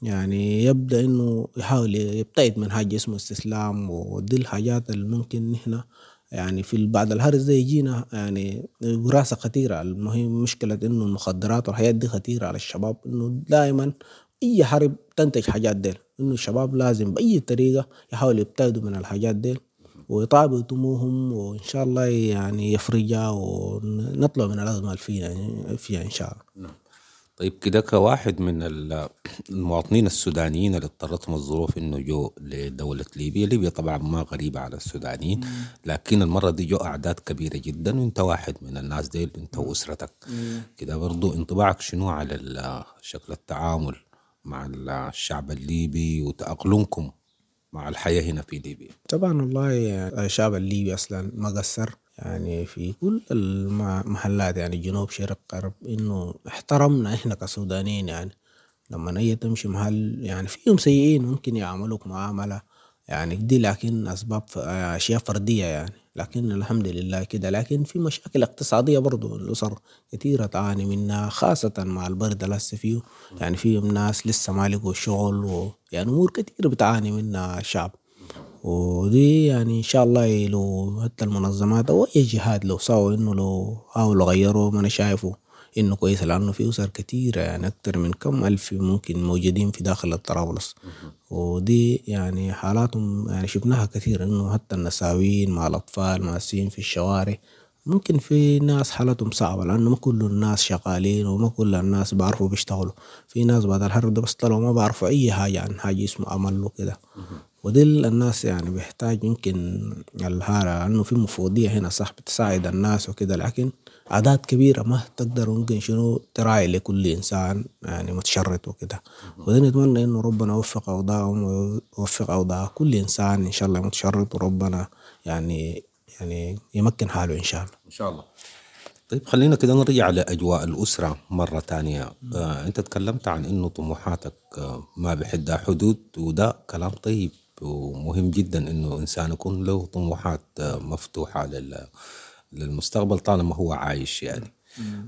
يعني يبدأ إنه يحاول يبتعد من حاجة اسمه استسلام، ودي الحاجات اللي ممكن نحن يعني في بعد الهرس ده يجينا يعني وراثة خطيرة. المهم مشكلة إنه المخدرات والحاجات دي خطيرة على الشباب، إنه دائما أي حرب تنتج حاجات ديل، إنه الشباب لازم بأي طريقة يحاولوا يبتعدوا من الحاجات ديل ويطابقوا طموحهم، وإن شاء الله يعني يفرجها ونطلع من الأزمة اللي فيها فيها إن شاء الله. نعم. طيب كده كواحد من المواطنين السودانيين اللي اضطرتهم الظروف انه جو لدولة ليبيا، ليبيا طبعا ما غريبة على السودانيين، لكن المرة دي جو أعداد كبيرة جدا، وانت واحد من الناس ديل، انت وأسرتك كده، برضو انطباعك شنو على شكل التعامل مع الشعب الليبي وتأقلمكم مع الحياة هنا في ليبيا؟ طبعا والله الشعب الليبي أصلا ما قصر يعني في كل المحلات، يعني جنوب شرق غرب، إنه احترمنا إحنا كسودانيين. يعني لما أي تمشي محل يعني فيهم سيئين ممكن يعاملوك معاملة يعني دي، لكن أسباب أشياء فردية يعني، لكن الحمد لله كده. لكن في مشاكل اقتصادية برضو الأسر كثيرة تعاني منها، خاصة مع البرد اللي هسه فيه، يعني فيهم ناس لسه ما لقوا شغل، ويعني أمور كثيرة بتعاني منها الشعب. ودي يعني إن شاء الله لو حتى المنظمات أو أي جهات لو سووا إنه لو حاولوا غيروا، ما أنا شايفه إنه كويس، لأنه في أسر كثيرة يعني أكثر من كم ألف ممكن موجودين في داخل الطرابلس، ودي يعني حالاتهم يعني شفناها كثير، إنه حتى النساوين مع الأطفال ماسين في الشوارع، ممكن في ناس حالتهم صعبة، لأنه ما كل الناس شغالين وما كل الناس بعرفوا بيشتغلوا، في ناس بعد الحرب ده بس طلعوا ما بعرفوا أي حاجة عن حاجة اسمه عمل وكده، ودي الناس يعني بيحتاج يمكن الهالة، لأنه في مفوضية هنا صح بتساعد الناس وكده، لكن أعداد كبيرة ما تقدر ممكن شنو تراعي لكل إنسان يعني متشرد وكده. وده نتمنى إنه ربنا يوفق أوضاعهم ويوفق أوضاع كل إنسان إن شاء الله متشرد، وربنا يعني يعني يمكن حاله إن شاء الله. إن شاء الله. طيب خلينا كده نرجع لأجواء الأسرة مرة تانية. آه، أنت تكلمت عن إنه طموحاتك آه، ما بحدها حدود، وده كلام طيب ومهم جدا إنه إنسان يكون له طموحات آه، مفتوحة لل للمستقبل طالما هو عايش يعني.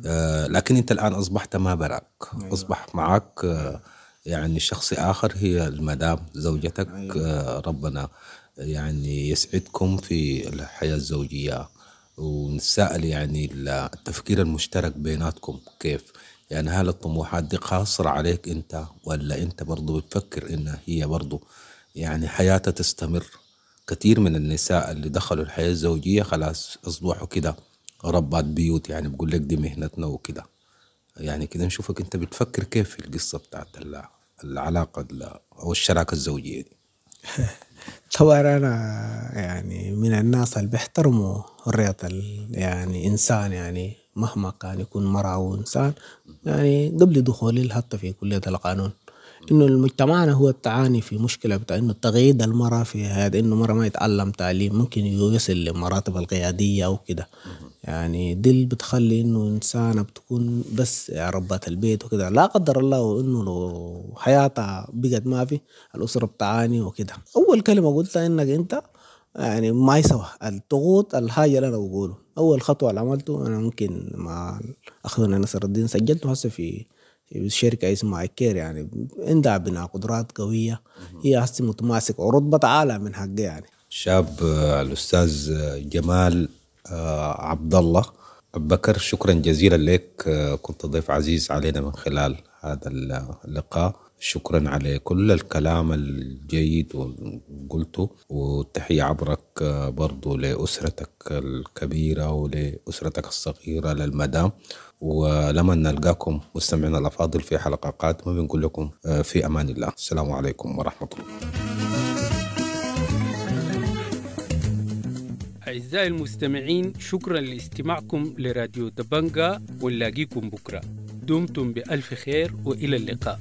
آه، لكن أنت الآن أصبحت ما براك. أيوة. أصبح معك آه، يعني شخص آخر، هي المدام زوجتك. أيوة. آه، ربنا يعني يسعدكم في الحياة الزوجية، ونسأل يعني التفكير المشترك بيناتكم كيف؟ يعني هل الطموحات دي قاصرة عليك أنت، ولا أنت برضو بتفكر إنها هي برضو يعني حياتها تستمر؟ كثير من النساء اللي دخلوا الحياة الزوجية خلاص أصبحوا كده ربات بيوت، يعني بقول لك دي مهنتنا وكده. يعني كده نشوفك أنت بتفكر كيف في القصة بتاعت العلاقة أو الشراكة الزوجية دي. طبعا أنا يعني من الناس اللي بيحترموا حرية يعني إنسان، يعني مهما كان يكون مرأة أو إنسان، يعني قبل دخولي حتى في كلية القانون، إنه المجتمعنا هو التعاني في مشكلة بتاع إنه تغييد المرأة في هذا، إنه مرأة ما يتعلم تعليم ممكن يصل للمراتب القيادية أو كده، يعني دي اللي بتخلي إنه إنسانة بتكون بس ربة البيت وكده، لا قدر الله إنه لو حياتها بقت ما في الأسرة بتعاني وكده. أول كلمة قلتها إنك أنت يعني ما يسوى الضغوط، الحاجة اللي أنا بقوله أول خطوة اللي عملته أنا ممكن مع أخونا نصر الدين سجلته هسه في شركة اسمها ايكير، يعني عندها بناء قدرات قوية، هي هسه متماسكة ورتبة عالية من حقي يعني. شاب الأستاذ جمال عبد الله، بكر، شكرا جزيلا لك، كنت ضيف عزيز علينا من خلال هذا اللقاء. شكرا على كل الكلام الجيد قلته، والتحية عبرك برضو لأسرتك الكبيرة ولأسرتك الصغيرة للمدام. ولما نلقاكم مستمعينا الأفاضل في حلقة قادمة بنقول لكم في أمان الله. السلام عليكم ورحمة الله. أعزائي المستمعين، شكرا لاستماعكم لراديو دبنجا، ونلاقيكم بكرة. دمتم بألف خير وإلى اللقاء.